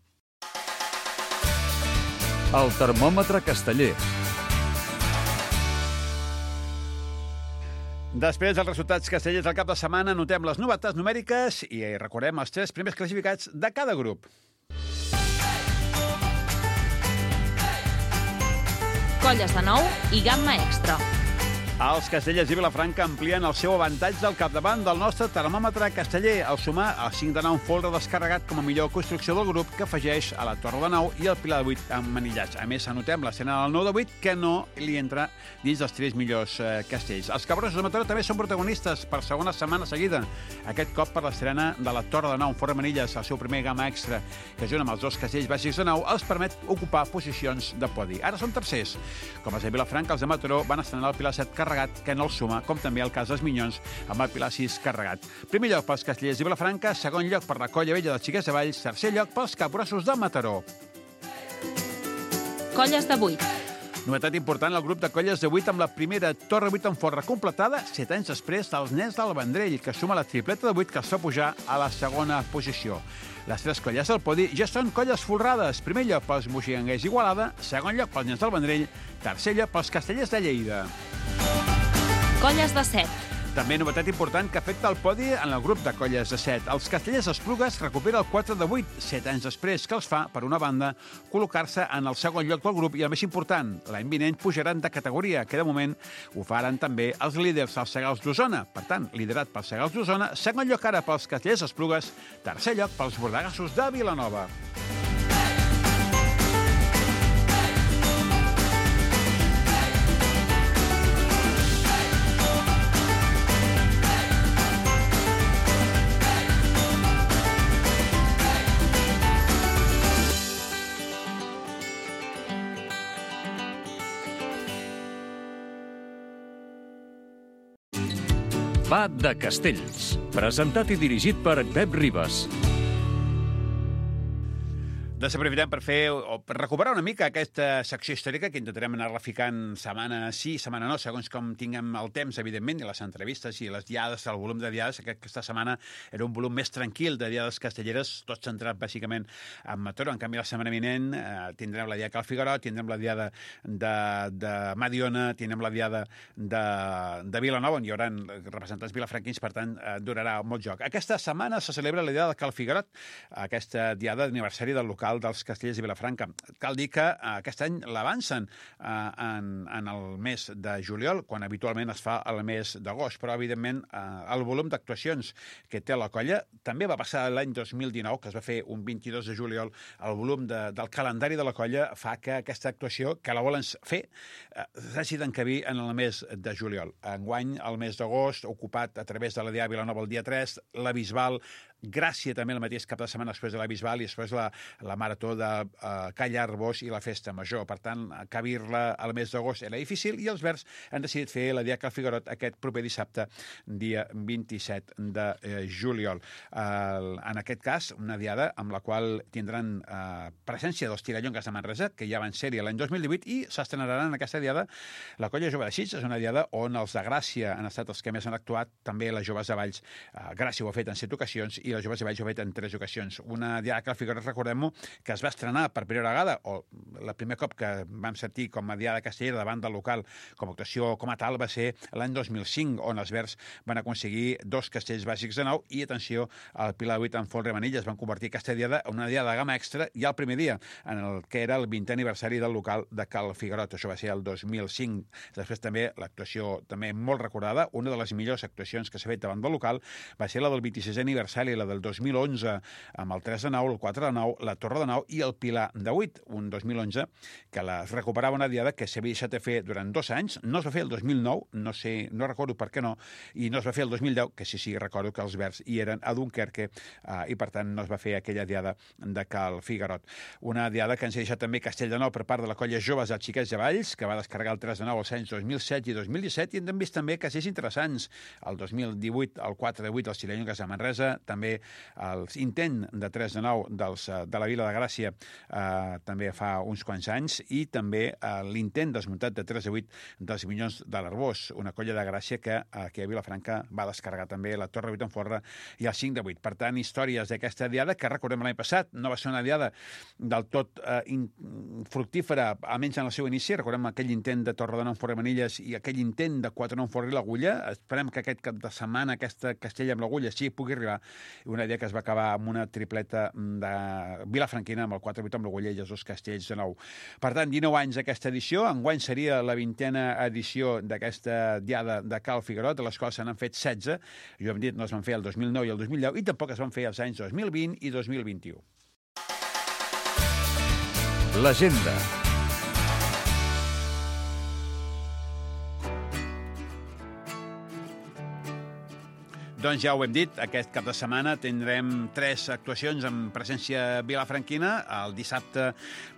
El termòmetre casteller. Després dels resultats castellers del cap de setmana, notem les novetats numèriques i recordem els tres primers classificats de cada grup. Colles de nou i gamma extra. Els castellers i Vilafranca amplien el seu avantatge al capdavant del nostre termòmetre casteller al sumar el cinc de nou folre descarregat com a millor construcció del grup que afegeix a la Torre de Nou i el Pilar de vuit emmanillats. A més, anotem l'escena del nou de vuit que no li entra dins dels tres millors eh, castells. Els cabrosos de Mataró també són protagonistes per segona setmana seguida. Aquest cop per l'estrena de la Torre de Nou, Forre Manilles, el seu primer gamma extra, que junt amb els dos castells bàsics de Nou els permet ocupar posicions de podi. Ara són tercers. Com els de Vilafranca, els de Mataró van estrenar el Pilar set carregat, que no el suma, com també el cas dels Minyons, amb el Pilar sis carregat. Primer lloc pels castellers i Vilafranca, segon lloc per la Colla Vella dels Xiquets de Valls, tercer lloc pels capgrossos de Mataró. Colles de vuit. Novetat important, el grup de colles de vuit amb la primera Torre vuit en folre completada, set anys després dels nens del Vendrell, que suma la tripleta de vuit que els fa pujar a la segona posició. Les tres colles del podi ja són colles folrades. Primer lloc pels moixiganguers d'Igualada, segon lloc pels nens del Vendrell, tercer lloc pels castellers de Lleida. Colles de set. També novetat important que afecta el podi en el grup de colles de set. Els castellers Esplugues recupera el quatre de vuit, set anys després, que els fa, per una banda, col·locar-se en el segon lloc del grup i el més important, l'any vinent pujaran de categoria, que de moment ho faran també els líders, els Segals d'Osona. Per tant, liderat pels Segals d'Osona, segon lloc ara pels castellers Esplugues, tercer lloc pels bordegassos de Vilanova. Va de Castells, presentat i dirigit per Pep Ribas. Desaprofitem per fer o per recuperar una mica aquesta secció històrica que intentarem anar-la ficant setmana sí, setmana no, segons com tinguem el temps, evidentment, i les entrevistes i les diades, el volum de diades. Aquesta setmana era un volum més tranquil de diades castelleres, tot centrat bàsicament en Mataró. En canvi, la setmana vinent eh, tindrem la diada Cal Figuerot, tindrem la diada de, de Mediona, tindrem la diada de, de Vilanova, on hi haurà representants vilafranquins, per tant, eh, durarà molt joc. Aquesta setmana se celebra la diada de Cal Figuerot, aquesta diada d'aniversari del local dels Castellers i Vilafranca. Cal dir que eh, aquest any l'avancen eh, en, en el mes de juliol, quan habitualment es fa el mes d'agost, però evidentment eh, el volum d'actuacions que té la colla també va passar l'any dos mil dinou, que es va fer un vint-i-dos de juliol. El volum de, del calendari de la colla fa que aquesta actuació, que la volen fer, eh, s'hagi d'encabir en el mes de juliol. Enguany, el mes d'agost, ocupat a través de la Diada Vilanova el dia tres, la Bisbal, Gràcia també el mateix cap de setmana després de la Bisbal i després la, la marató de uh, Calla Arbós i la Festa Major. Per tant, cabir-la al mes d'agost era difícil i els Verds han decidit fer la Diada Cal Figuerot aquest proper dissabte, dia vint-i-set de eh, juliol. Uh, en aquest cas, una diada amb la qual tindran uh, presència dels Tirallongues de Manresa, que ja van ser-hi l'any dos mil divuit, i s'estrenaran en aquesta diada la Colla Jove de Sitges. És una diada on els de Gràcia han estat els que més han actuat, també les joves de Valls. Uh, Gràcia ho ha fet en set ocasions i les joves de Valls ho ha fet en tres ocasions. Una diada Cal Figuerot, recordem-ho, que es va estrenar per primera vegada, o la primer cop que vam sentir com a diada castellera davant del local, com a actuació com a tal, va ser l'any dos mil cinc, on els Verds van aconseguir dos castells bàsics de nou i, atenció, el Pilar de vuit en folre Manilles van convertir aquesta diada en una diada de gamma extra ja el primer dia, en el que era el vintè aniversari del local de Cal Figuerot. Això va ser el dos mil cinc. Després també l'actuació també molt recordada, una de les millors actuacions que s'ha fet davant del local va ser la del vint-i-sisè aniversari, la del dos mil onze, amb el tres de nou, el quatre de nou, la Torre de nou i el Pilar de vuit, un dos mil onze que la recuperava una diada que s'havia deixat de fer durant dos anys. No es va fer el dos mil nou, no sé, no recordo per què no, i no es va fer el dos mil deu, que sí, sí, recordo que els Verds hi eren a Dunkerque eh, i per tant no es va fer aquella diada de Cal Figuerot. Una diada que ens ha deixat també Castell de Nou per part de la Colla Joves dels Xiquets de Valls, que va descarregar el tres de nou als anys dos mil set i dos mil disset, i hem vist també castells interessants. El dos mil divuit, el quatre de vuit dels Tirallongues de Manresa, també l'intent de tres de nou dels, de la Vila de Gràcia eh, també fa uns quants anys, i també eh, l'intent desmuntat de tres de vuit dels Minyons de l'Arbós, una colla de Gràcia que aquí a Vilafranca va descarregar també la Torre vuit en folre i el cinc de vuit. Per tant, històries d'aquesta diada que recordem l'any passat, no va ser una diada del tot eh, in, fructífera, almenys en el seu inici. Recordem aquell intent de Torre de nou en folre Manilles i aquell intent de quatre de nou en folre i l'Agulla. Esperem que aquest cap de setmana aquesta Castella amb l'Agulla sí pugui arribar una dia que es va acabar amb una tripleta de vilafranquina, amb el quatre vuit amb l'Oguller i els dos castells de nou. Per tant, dinou anys aquesta edició, enguany seria la vintena edició d'aquesta diada de Cal Figuerot, de les quals se n'han fet setze, jo hem dit no es van fer el dos mil nou i el dos mil deu, i tampoc es van fer els anys dos mil vint i dos mil vint-i-u. L'agenda. Doncs ja ho hem dit, aquest cap de setmana tindrem tres actuacions amb presència vilafranquina. El dissabte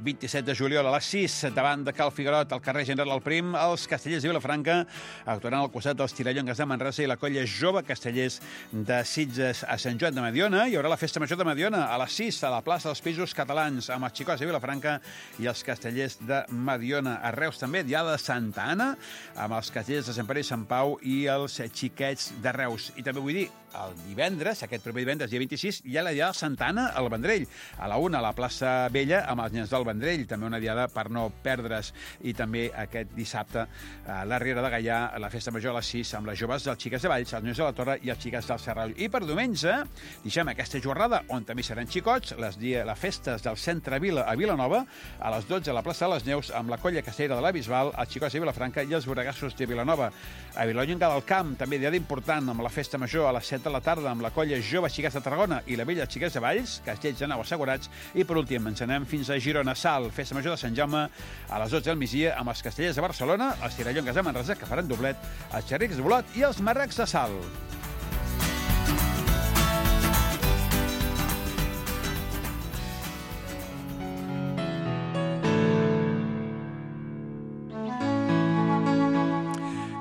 vint-i-set de juliol a les sis, davant de Cal Figuerot, al carrer General el Prim, els castellers de Vilafranca actuaran al costat dels Tirallongues de Manresa i la colla jove castellers de Sitges a Sant Joan de Mediona. Hi haurà la Festa Major de Mediona a les sis a la plaça dels Pisos Catalans amb els xicots de Vilafranca i els castellers de Mediona. A Reus també, diada de Santa Anna, amb els castellers de Sant Pere i Sant Pau i els xiquets de Reus. I també vull dir, el divendres, aquest proper divendres, dia vint-i-sis, hi ha la diada de Santa Anna al Vendrell, a la una a la plaça Vella amb els nens del Vendrell, també una diada per no perdre's, i també aquest dissabte a la Riera de Gaià, a la Festa Major a les sis, amb les joves dels xiques de Valls, els nens de la Torre i els xiques del Serrall. I per diumenge, deixem aquesta jornada, on també seran xicots, les, dia, les festes del Centre Vila a Vilanova, a les dotze a la plaça de les Neus, amb la colla castellera de la Bisbal, els xicots de Vilafranca i els boregassos de Vilanova. A Vilallonga del Camp, també diada important, amb la Festa Major a les set de la tarda, amb la colla Jove Xiquets de Tarragona i la Vella Xiquets de Valls, castells de nou assegurats, i per últim ens anem fins a Girona Sal, Festa Major de Sant Jaume a les dotze del migdia, amb els castellers de Barcelona, els Tirallongues de Manresa, que faran doblet, els Xerrics de Bolot i els Marrecs de Sal.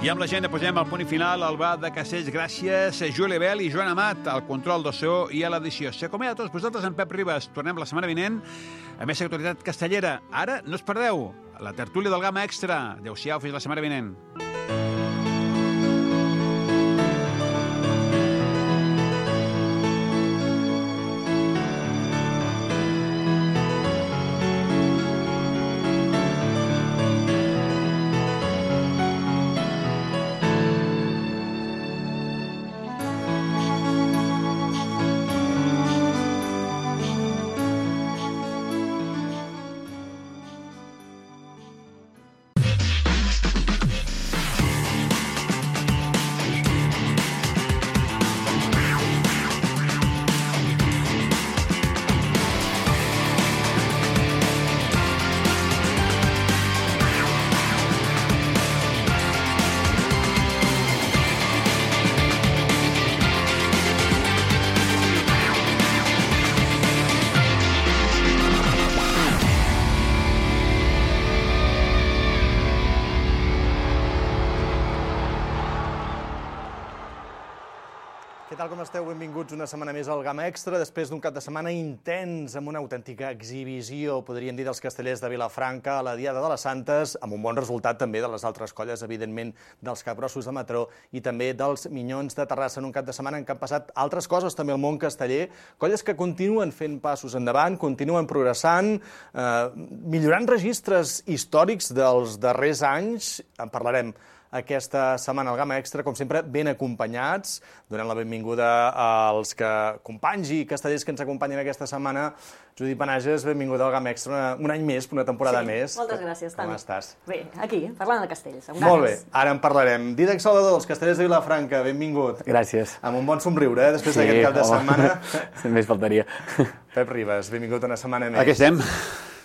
I amb l'agenda posem el punt i final al bar de Castells. Gràcies a Juli Bel i Joan Amat, al control del so i a l'edició. S'acomiada a tots vosaltres en Pep Ribas. Tornem la setmana vinent a més actualitat castellera. Ara, no us perdeu la tertúlia del Gamma Extra. Adéu-siau, fins la setmana vinent. Què tal, com esteu? Benvinguts una setmana més al Gamma Extra, després d'un cap de setmana intens, amb una autèntica exhibició, podríem dir, dels castellers de Vilafranca a la Diada de les Santes, amb un bon resultat també de les altres colles, evidentment, dels capgrossos de Mataró i també dels Minyons de Terrassa, en un cap de setmana en què han passat altres coses també al món casteller, colles que continuen fent passos endavant, continuen progressant, eh, millorant registres històrics dels darrers anys, en parlarem aquesta setmana al Gamma Extra, com sempre, ben acompanyats, donant la benvinguda als que, companys i castellers que ens acompanyen aquesta setmana. Judit Panages, benvinguda al Gamma Extra una, un any més, una temporada sí, més. Moltes gràcies, Com Toni. estàs? Bé, aquí, parlant de castells. Amb Molt bé, ganes. ara en parlarem. Dídac Salvador, els castellers de Vilafranca, benvingut. Gràcies. Amb un bon somriure, eh, després Sí, d'aquest cap de home. setmana. Més faltaria. Pep Ribas, benvingut una setmana més. Aquí estem.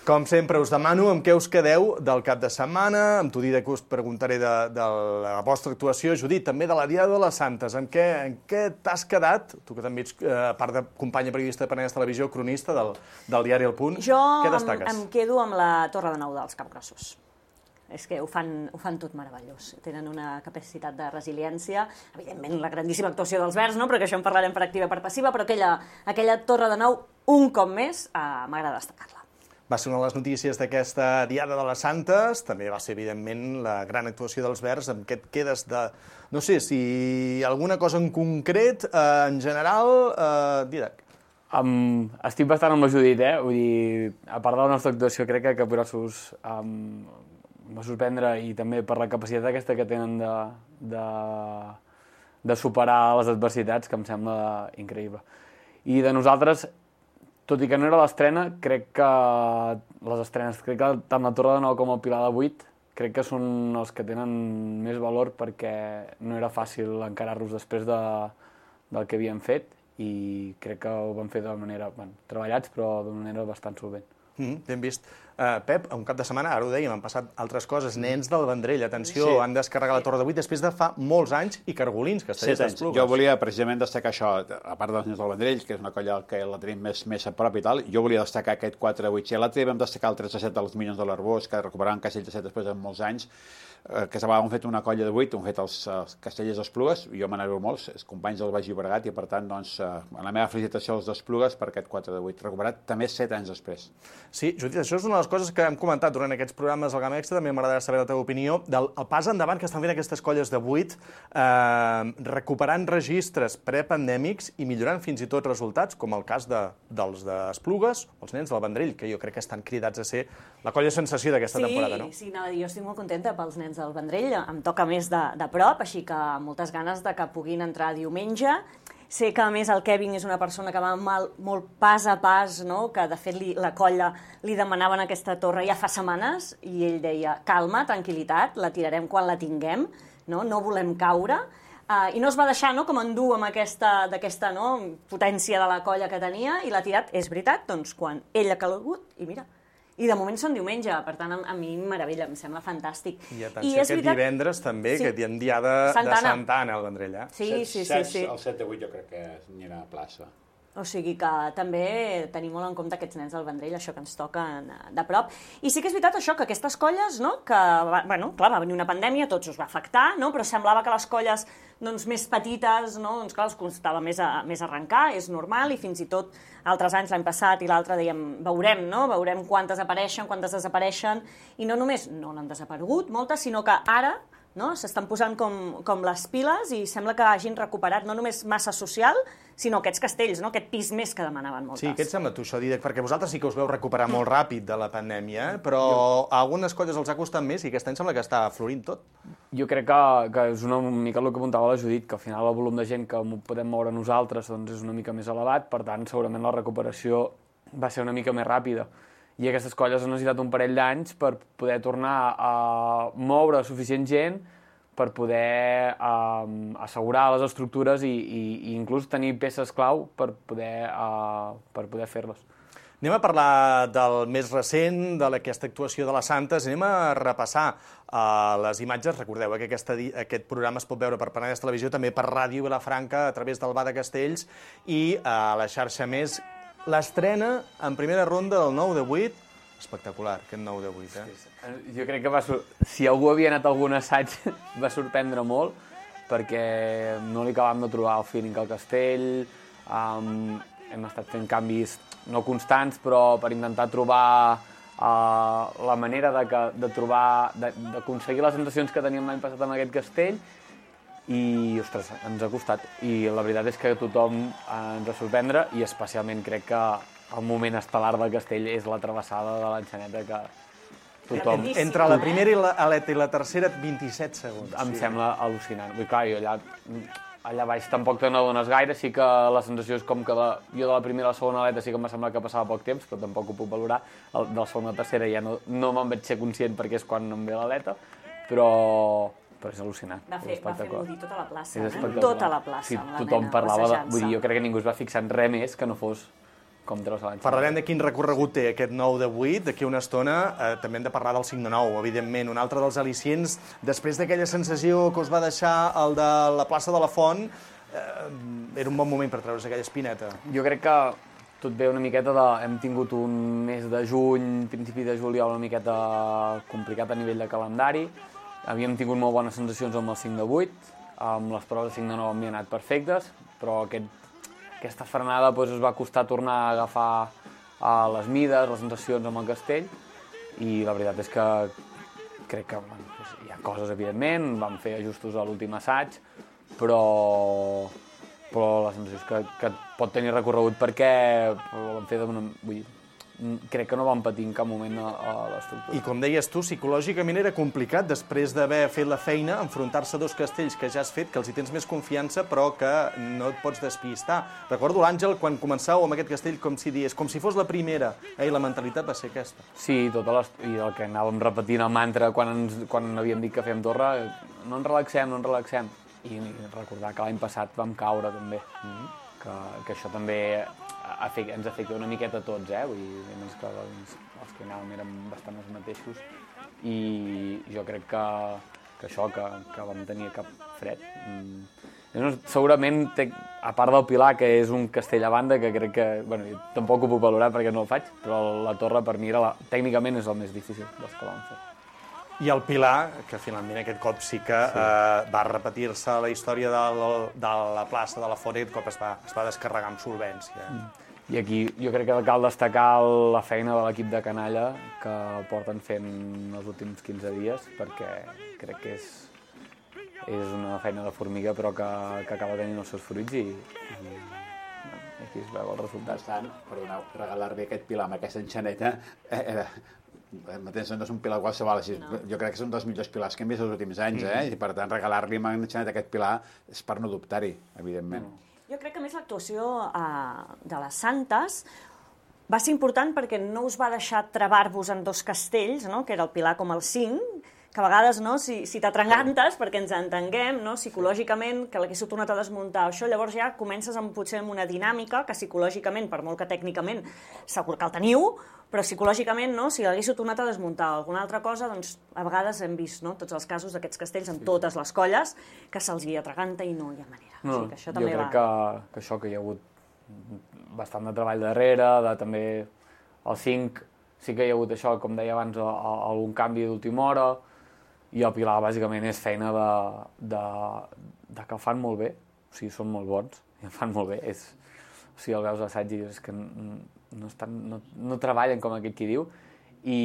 Com sempre, us demano amb què us quedeu del cap de setmana, amb tu, Dídac, us preguntaré de, de la vostra actuació. Judit, també de la Diada de les Santes. En què, en què t'has quedat? Tu que també ets, eh, a part de companya periodista de Penedès Televisió, cronista del, del diari El Punt. Jo què em, destaques? em quedo amb la Torre de Nou dels Capgrossos. És que ho fan, ho fan tot meravellós. Tenen una capacitat de resiliència, evidentment la grandíssima actuació dels Verds, no? Però que això en parlarem per activa i per passiva, però aquella, aquella Torre de Nou, un cop més, eh, m'agrada destacar-la. Va ser una de les notícies d'aquesta Diada de les Santes, també va ser, evidentment, la gran actuació dels Verds, amb què et quedes de... No sé, si alguna cosa en concret, eh, en general, eh, Dídac. Um, estic bastant amb la Judit, eh? Vull dir, a part de la nostra actuació, crec que Capgrossos um, va sorprendre, i també per la capacitat aquesta que tenen de, de, de superar les adversitats, que em sembla increïble. I de nosaltres, tot i que no era l'estrena, crec que les estrenes, crec que tant la Torre de Nou com el Pilar de vuit, crec que són els que tenen més valor perquè no era fàcil encarar-los després de, del que havíem fet i crec que ho vam fer de manera, bueno, treballats, però d'una manera bastant solvent. Mm, ben vist. Uh, Pep, un cap de setmana, ara ho dèiem, han passat altres coses. Nens del Vendrell, atenció, sí. Han descarregat la Torre de vuit després de fa molts anys i Cargolins, Castellers d'Esplugues. Jo volia precisament destacar això, a part dels Nens del Vendrell, que és una colla que la tenim més, més a prop i tal, jo volia destacar aquest quatre a vuit. Si a l'altre vam destacar el tres a set dels Minyons de l'Arbós, que recuperaven Castells de set després de molts anys, eh, que s'havien fet una colla de vuit, han fet els, els Castellers d'Esplugues, jo me n'alegro molt, els companys del Baix Llobregat, i per tant, doncs, eh, en la meva felicitació als d'Esplugues per aquest quatre de vuit, recuperat també set anys després. Sí, Judit, això és una de les coses que hem comentat durant aquests programes del Gamma Extra, també m'agradarà saber la teva opinió, del el pas endavant que estan fent aquestes colles de vuit, eh, recuperant registres prepandèmics i millorant fins i tot resultats, com el cas de, dels d'Esplugues, els Nens del Vendrell, que jo crec que estan cridats a ser la colla sensació d'aquesta sí, temporada, no? Sí, no, jo estic molt contenta pels Nens del Vendrell, em toca més de, de prop, així que moltes ganes de que puguin entrar diumenge. Sé que, a més, el Kevin és una persona que va mal, molt pas a pas, no? Que, de fet, li, la colla li demanaven aquesta torre ja fa setmanes i ell deia, calma, tranquil·litat, la tirarem quan la tinguem, no, no volem caure. Uh, I no es va deixar, no?, com endur amb aquesta, d'aquesta, no?, potència de la colla que tenia i l'ha tirat, és veritat, doncs, quan ell ha calgut, i mira, i de moment són diumenge, per tant, a mi meravella, em sembla fantàstic. I atenció, I aquest veritat... divendres també, sí. Que hi ha diada de Santa Anna al Vendrell, eh? Sí, sí, sí, sí. El set de vuit jo crec que anirà a plaça. O sigui que també tenim molt en compte aquests Nens del Vendrell, això que ens toca de prop. I sí que és veritat això, que aquestes colles, no?, que, bueno, clar, va venir una pandèmia, tots us va afectar, no?, però semblava que les colles, doncs, més petites, no?, doncs, clar, els costava més, a, més arrencar, és normal, i fins i tot altres anys, l'any passat i l'altre, dèiem, veurem, no?, veurem quantes apareixen, quantes desapareixen, i no només no n'han desaparegut moltes, sinó que ara, no?, s'estan posant com, com les piles i sembla que hagin recuperat no només massa social, sinó aquests castells, no?, aquest pis més que demanaven moltes. Sí, què et sembla tu això, Dídac? Perquè vosaltres sí que us veu recuperar molt ràpid de la pandèmia, però a algunes colles els ha costat més i aquest any sembla que està florint tot. Jo crec que, que és una mica el que apuntava la Judit, que al final el volum de gent que podem moure nosaltres doncs és una mica més elevat, per tant, segurament la recuperació va ser una mica més ràpida. I aquestes colles han necessitat un parell d'anys per poder tornar a moure suficient gent per poder um, assegurar les estructures i, i, i inclús tenir peces clau per poder, uh, per poder fer-les. Anem a parlar del més recent, d'aquesta actuació de les Santes, anem a repassar uh, les imatges. Recordeu eh, que aquesta, aquest programa es pot veure per Penedès Televisió, també per Ràdio Vilafranca, a través del Bar de Castells, i a uh, la xarxa Més. L'estrena en primera ronda del nou de vuit, espectacular, aquest nou de vuit, eh? Jo crec que va sur... si algú havia anat a algun assaig va sorprendre molt, perquè no li acabàvem de trobar el feeling al castell, um, hem estat fent canvis no constants, però per intentar trobar uh, la manera de, que, de trobar, d'aconseguir les sensacions que teníem l'any passat amb aquest castell, i, ostres, ens ha costat. I la veritat és que tothom ens va sorprendre, i especialment crec que el moment estel·lar del castell és la travessada de l'enxaneta, que tothom... Entre la primera i la, aleta i la tercera, vint-i-set segons. Em sí. sembla al·lucinant. Vull, clar, jo allà, allà baix tampoc te n'adones gaire, sí que la sensació és com que la, jo de la primera a la segona aleta sí que em va semblar que passava poc temps, però tampoc ho puc valorar. El, de la segona a la tercera ja no, no me'n vaig ser conscient perquè és quan em ve l'aleta, però... però és al·lucinant. Va fer, va fer dir tota la plaça, eh? Tota la plaça. Sí, tothom parlava de... Vull dir, jo crec que ningú es va fixar en res més que no fos com treus a l'any. Parlarem de quin recorregut té aquest nou de vuit, d'aquí una estona. Eh, també hem de parlar del cinc de nou, evidentment. Un altre dels al·licients, després d'aquella sensació que us va deixar el de la plaça de la Font, eh, era un bon moment per treure's aquella espineta. Jo crec que tot ve una miqueta de... Hem tingut un mes de juny, principi de juliol, una miqueta complicat a nivell de calendari. Havíem tingut molt bones sensacions amb el cinc de vuit, amb les proves de cinc de nou m'hi han anat perfectes, però aquest, aquesta frenada doncs, es va costar tornar a agafar uh, les mides, les sensacions amb el castell, i la veritat és que crec que bueno, doncs, hi ha coses, evidentment, vam fer ajustos a l'últim assaig, però, però la sensació és que, que pot tenir recorregut perquè ho vam fer d'una... Vull dir, crec que no van patir en cap moment a, a l'estructura. I com deies tu, psicològicament era complicat, després d'haver fet la feina, enfrontar-se a dos castells que ja has fet, que els hi tens més confiança, però que no et pots despistar. Recordo l'Àngel, quan començàveu amb aquest castell, com si dies, com si fos la primera, eh? I la mentalitat va ser aquesta. Sí, tota les... i el que anàvem repetint el mantra quan, ens, quan havíem dit que fèiem torre, no ens relaxem, no ens relaxem. I recordar que l'any passat vam caure, també. Mm-hmm. que, que això també afecta, ens afecta una miqueta a tots, eh? Vull dir, a més que els, els que anàvem érem bastant els mateixos, i jo crec que, que això, que, que vam tenir cap fred. Mm. Segurament, té, a part del Pilar, que és un castell a banda, que crec que, bueno, jo tampoc ho puc valorar perquè no el faig, però la torre per mi era la, tècnicament és el més difícil dels que vam fer. I el Pilar, que finalment aquest cop sí que sí. Eh, va repetir-se la història de, de la plaça de la Font, i aquest cop es va, es va descarregar amb solvència. Mm. I aquí jo crec que cal destacar la feina de l'equip de Canalla, que porten fent els últims quinze dies, perquè crec que és, és una feina de formiga, però que, que acaba tenint els seus fruits, i, i aquí es veu el resultat. Bastant, perdoneu, regalar-li aquest Pilar amb aquesta enxaneta, eh, eh, mateix no és un Pilar qualsevol, així, no. Jo crec que és un dels millors pilars que hem vist els últims anys, eh? Mm. I per tant regalar-li amb enxaneta aquest Pilar és per no dubtar-hi, evidentment. Mm. Jo crec que més l'actuació eh, de les Santes va ser important perquè no us va deixar travar-vos en dos castells, no? Que era el Pilar com el cinc, que a vegades, no, si, si t'atrangantes, perquè ens entenguem, no, psicològicament, que l'haguéssiu tornat a desmuntar, això, llavors ja comences amb, potser amb una dinàmica que psicològicament, per molt que tècnicament segur que el teniu, però psicològicament, no, si l'haguéssiu tornat a desmuntar o alguna altra cosa, doncs a vegades hem vist, no, tots els casos d'aquests castells en totes les colles, que se'ls hi atraganta i no hi ha manera. No, o sigui, que això també jo crec va... que, que això, que hi ha hagut bastant de treball darrere, de també el cinc, sí que hi ha hagut això, com deia abans, a, a, algun canvi d'última hora, i el Pilar, bàsicament, és feina de, de, de que el fan molt bé, o sigui, són molt bons, i el fan molt bé. És, o sigui, el veus a l'assaig i dius que no, estan, no, no treballen com aquell qui diu, i,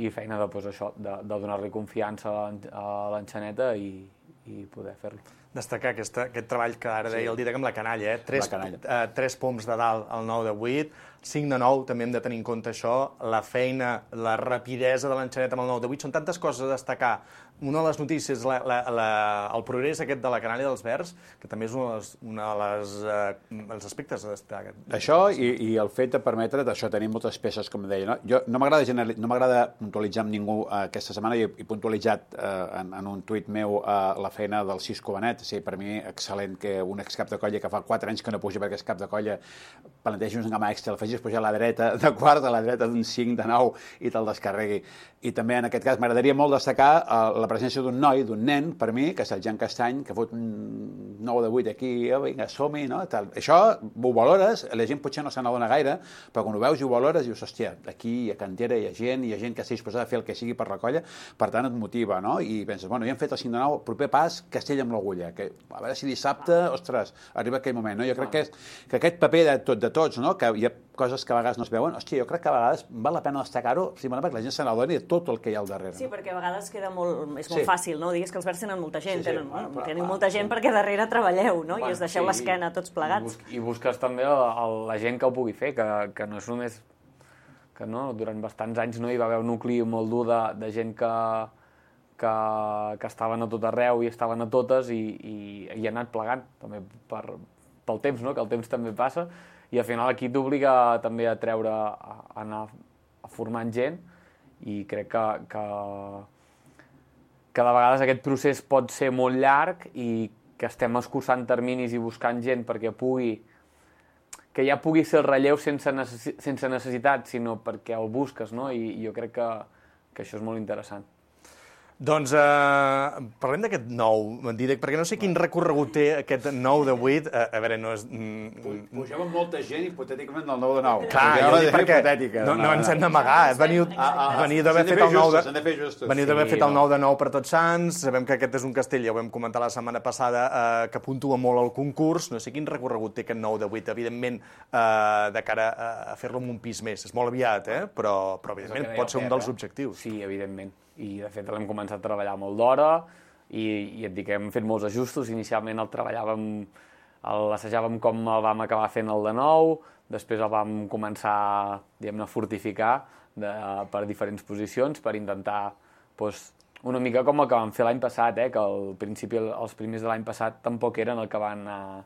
i feina de, doncs, això, de, de donar-li confiança a l'enxaneta i, i poder fer-lo. Destacar aquesta, aquest treball que ara deia sí. el Didac amb la canalla, eh? Tres, la canalla. Eh, tres poms de dalt al nou de vuit, cinc de nou, també hem de tenir en compte això, la feina, la rapidesa de l'enxaneta amb el nou de vuit, són tantes coses a destacar. Una de les notícies, la, la, la, el progrés aquest de la canalla dels Verds, que també és un dels de eh, aspectes a destacar. Això i, i el fet de permetre d'això tenir moltes peces, com deia. No? Jo no m'agrada no puntualitzar amb ningú eh, aquesta setmana, i he puntualitzat eh, en, en un tuit meu eh, la feina del Cisco Benet. Sí, per mi, excel·lent que un excap de colla que fa quatre anys que no puja perquè és cap de colla, plantegi un gamma extra, el facis pujar a la dreta de quart, a la dreta d'un cinc de nou i te'l descarregui. I també, en aquest cas, m'agradaria molt destacar uh, la presència d'un noi, d'un nen, per mi, que és el Jan Castany, que fot un nou de vuit aquí, oh, vinga, som-hi, no? Tal. Això ho valores, la gent potser no se n'adona gaire, però quan ho veus i ho valores, dius, hòstia, aquí a Cantera hi ha gent, hi ha gent que està disposada a fer el que sigui per la colla, per tant et motiva, no? I penses, bueno, ja hem fet el cinc de nou, proper pas, Castell amb l'agulla, que a veure si dissabte, ostres, arriba aquell moment, no? Jo crec que, és, que aquest paper de, tot, de tots, no? Que hi ha coses que a vegades no es veuen, hòstia, jo crec que a vegades val la pena destacar-ho, simplement perquè la gent se n'adoni de tot el que hi ha al darrere. Sí, perquè a vegades queda molt, és molt sí. fàcil, no? Digues que els Verds tenen molta gent, sí, sí, tenen, bueno, però, teniu clar, molta gent sí. perquè darrere treballeu, no? Bueno, I us deixeu sí, l'esquena tots plegats. I, bus I busques també el, el, la gent que ho pugui fer, que, que no és només... que no, durant bastants anys no hi va haver un nucli molt dur de, de gent que, que, que estaven a tot arreu i estaven a totes i, i, i ha anat plegant, també per, pel temps, no? Que el temps també passa, i al final aquí t'obliga també a treure, a, a anar a formant gent, i crec que, que, que de vegades aquest procés pot ser molt llarg i que estem escurçant terminis i buscant gent perquè pugui, que ja pugui ser el relleu sense, necessi sense necessitat, sinó perquè el busques, no? I, i jo crec que, que això és molt interessant. Doncs eh, parlem d'aquest nou, Didac, perquè no sé quin recorregut té aquest nou de vuit. A, a veure, no és... Mm, Pugem amb molta gent, hipotèticament, del nou de nou. Clar, jo dic perquè no, no ens hem d'amagar. Veniu, veniu d'haver fet el nou de... Veniu d'haver fet el nou de nou per Tots Sants. Sabem que aquest és un castell, ja ho vam comentar la setmana passada, eh, que puntua molt al concurs. No sé quin recorregut té aquest nou de vuit. Evidentment, eh, de cara a fer-lo amb un pis més. És molt aviat, eh? Però, però evidentment, pot ser un dels objectius. Sí, evidentment. I, de fet, l'hem començat a treballar molt d'hora i, i et dic que hem fet molts ajustos. Inicialment el treballàvem l'assajàvem com el vam acabar fent el de nou, després el vam començar, diguem-ne, a fortificar de, per diferents posicions per intentar, doncs, una mica com el que vam fer l'any passat, eh, que al principi els primers de l'any passat tampoc eren el que van anar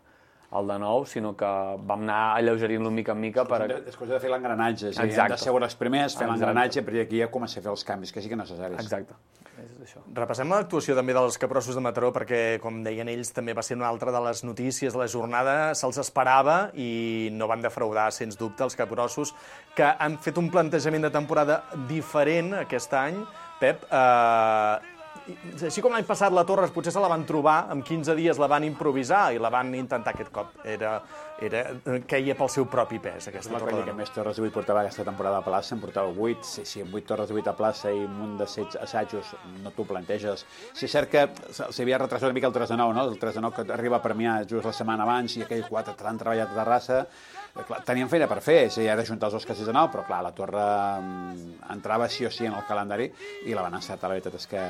al de nou, sinó que vam anar alleugerint-lo mica en mica. Per... Després de fer l'engranatge, és a dir, hem de ser els primers, fer l'engranatge, però aquí ja comença a fer els canvis, que sí que necessaris. Exacte. És això. Repassem l'actuació també dels capgrossos de Mataró, perquè, com deien ells, també va ser una altra de les notícies de la jornada. Se'ls esperava i no van defraudar, sens dubte, els capgrossos, que han fet un plantejament de temporada diferent aquest any. Pep, eh, així com l'any passat la Torres potser se la van trobar, en quinze dies la van improvisar i la van intentar aquest cop. Era, era, queia pel seu propi pes, aquesta Torre de Nou. Que més Torres de vuit portava aquesta temporada a plaça, en portava vuit. Sí, sí, amb vuit Torres de vuit a plaça i un munt de assajos no t'ho planteges. Sí, és cert que s'havia retrasat una mica el tres de nou, no? El tres de nou que arriba a Premià just la setmana abans i aquells quatre que han treballat a Terrassa. Clar, tenien feina per fer, sí, ara juntar els dos castells de nou, però clar, la Torre entrava sí o sí en el calendari i la van encertar. La veritat és que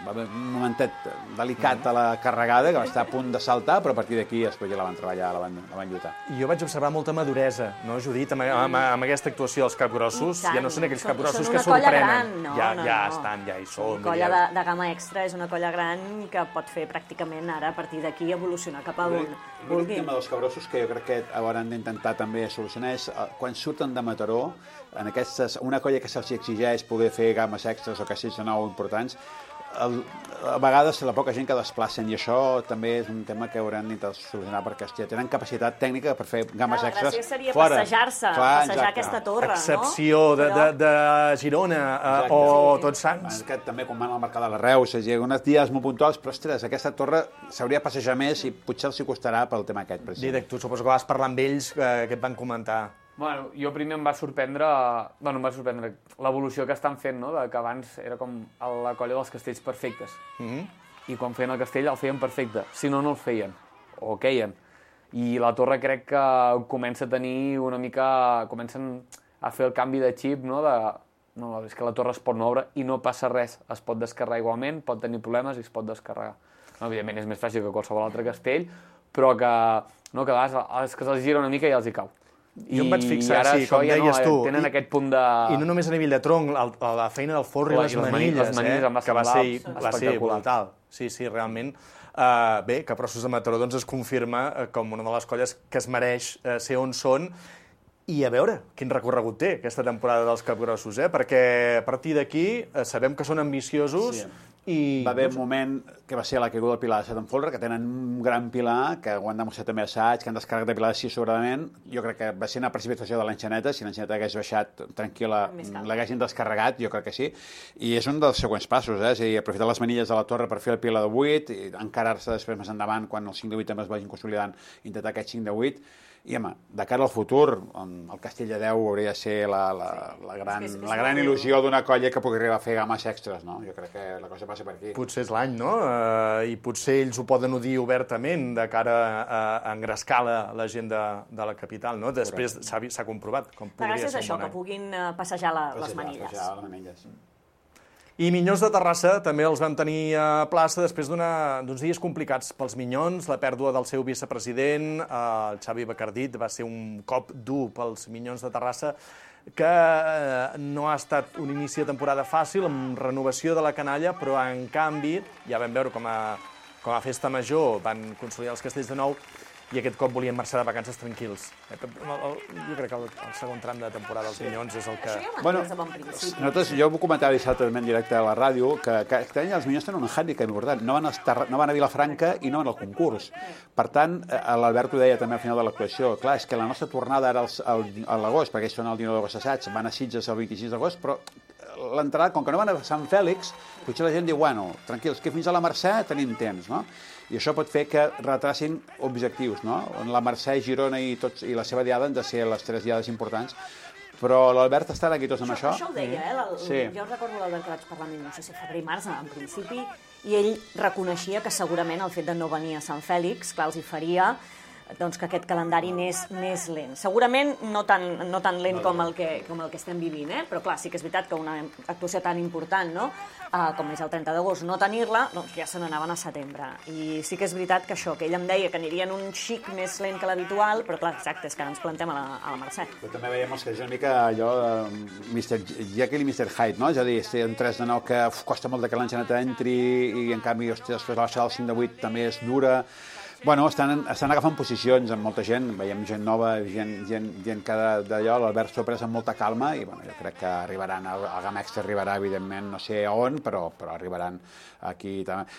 va haver un momentet delicat a la carregada, que va estar a punt de saltar, però a partir d'aquí després ja la van treballar, la van, la van lluitar. Jo vaig observar molta maduresa, no, Judit, amb, amb, amb aquesta actuació dels capgrossos. Ja no són aquells capgrossos que sorprenen. Gran, no, ja, no, ja no. estan, ja hi són. Una colla de, de gamma extra és una colla gran que pot fer pràcticament ara, a partir d'aquí, evolucionar cap a on vulgui. L'únic tema dels capgrossos que jo crec que hauran d'intentar també solucionar és quan surten de Mataró, en aquestes, una colla que se'ls exigeix poder fer gammes extras o castells de nou importants, el, a vegades la poca gent que desplacen, i això també és un tema que hauran d'intentar solucionar, perquè hòstia, tenen capacitat tècnica per fer gammes extras fora. La gràcia seria passejar-se, passejar aquesta torre, no? Excepció de, de, de Girona uh, o sí. Tots Sants. Que també quan van al mercat de la Reus, és a dir, uns dies molt puntuals, però ostres, aquesta torre s'hauria de passejar més i potser els hi costarà pel tema aquest. Didac, tu suposo que vas parlar amb ells, eh, que et van comentar. Bueno, jo primer em va sorprendre, bueno, em va sorprendre l'evolució que estan fent, no? De que abans era com la colla dels castells perfectes. Mm-hmm. I quan feien el castell el feien perfecte, si no, no el feien, o queien. I la torre crec que comença a tenir una mica... comencen a fer el canvi de xip, no? De, no, és que la torre es pot moure i no passa res, es pot descarregar igualment, pot tenir problemes i es pot descarregar. No, evidentment és més fàcil que qualsevol altre castell, però que, no, que a vegades és que se'ls gira una mica i els hi cau. Jo em vaig fixar, sí, com ja deies no, tu, tenen i, aquest punt de... I no només a nivell de tronc, el, la feina del forro i les, les manilles, les manilles eh, va que va ser, va ser brutal. Sí, sí, realment. Uh, bé, Capgrossos de Mataró doncs, es confirma uh, com una de les colles que es mereix uh, ser on són, i a veure quin recorregut té aquesta temporada dels Capgrossos, eh? Perquè a partir d'aquí uh, sabem que són ambiciosos, sí. I... Va haver un moment que va ser la caiguda del pilar de Set Folre, que tenen un gran pilar, que ho han demostrat també assaig, que han descarregat de pilar així sobradament. Jo crec que va ser una precipitació de l'enxaneta, si l'enxaneta hagués baixat tranquil·la, l'haguessin descarregat, jo crec que sí. I és un dels següents passos, eh? És a dir, aprofitar les manilles de la torre per fer el pilar de vuit, i encarar-se després més endavant, quan el cinc de vuit també es vagin consolidant, intentar aquest cinc de vuit. I, home, de cara al futur, el Castell de deu hauria de ser la, la, la, gran, la gran il·lusió d'una colla que pugui arribar a fer gammes extras, no? Jo crec que la cosa passa per aquí. Potser és l'any, no? Uh, I potser ells ho poden dir obertament de cara a, a engrescar la, la gent de, de la capital, no? Després s'ha comprovat com podria ser. Gràcies a això, que puguin passejar la, les manilles. Passejar les manilles. I Minyons de Terrassa també els vam tenir a plaça després d'uns dies complicats pels Minyons, la pèrdua del seu vicepresident, el Xavi Bacardit, va ser un cop dur pels Minyons de Terrassa, que no ha estat un inici de temporada fàcil, amb renovació de la canalla, però en canvi, ja vam veure com a, com a festa major van consolidar els castells de nou, i aquest cop volien marxar de vacances tranquils. Jo crec que el, el segon tram de temporada dels Minyons és el que... Això ja ho bueno, de bon principi. Nosaltres, jo ho comentava dissabte també en directe a la ràdio, que aquest any els Minyons tenen un hàndicap important. No van, estar, no van a Vilafranca i no van al concurs. Per tant, l'Albert ho deia també al final de l'actuació, clar, és que la nostra tornada era a l'agost, perquè ells són el dinou d'agost assaig, van a Sitges el vint-i-sis d'agost, però l'entrada, com que no van a Sant Fèlix, potser la gent diu, bueno, tranquils, que fins a la Mercè tenim temps, no? I això pot fer que retracin objectius, no? La Mercè, Girona i, tots, i la seva diada han de ser les tres diades importants, però l'Albert està aquí tots amb això. Això ho deia, eh? El, sí. Jo recordo l'Albert que vaig parlar amb ell, no sé si febrer i març, en principi, i ell reconeixia que segurament el fet de no venir a Sant Fèlix, clar, els hi faria doncs, que aquest calendari anés més lent. Segurament no tan, no tan lent com el, que, com el que estem vivint, eh? Però clar, sí que és veritat que una actuació tan important, no? uh, com és el trenta d'agost, no tenir-la, doncs ja se n'anaven a setembre. I sí que és veritat que això, que ell em deia que anirien un xic més lent que l'habitual, però clar, exacte, és que ara ens plantem a la, a la Mercè. Però també veiem que és una mica allò de mister Jekyll i mister Hyde, no? És a dir, si un tres de nou que uf, costa molt de que l'enxaneta entri i en canvi, hòstia, després la baixada del cinc de vuit també és dura. Bueno, estan, estan agafant posicions amb molta gent, veiem gent nova, gent, gent, gent que d'allò, l'Albert s'ho ha pres amb molta calma i bueno, jo crec que arribaran, el, el Gamma Extra arribarà, evidentment, no sé on, però, però arribaran aquí també.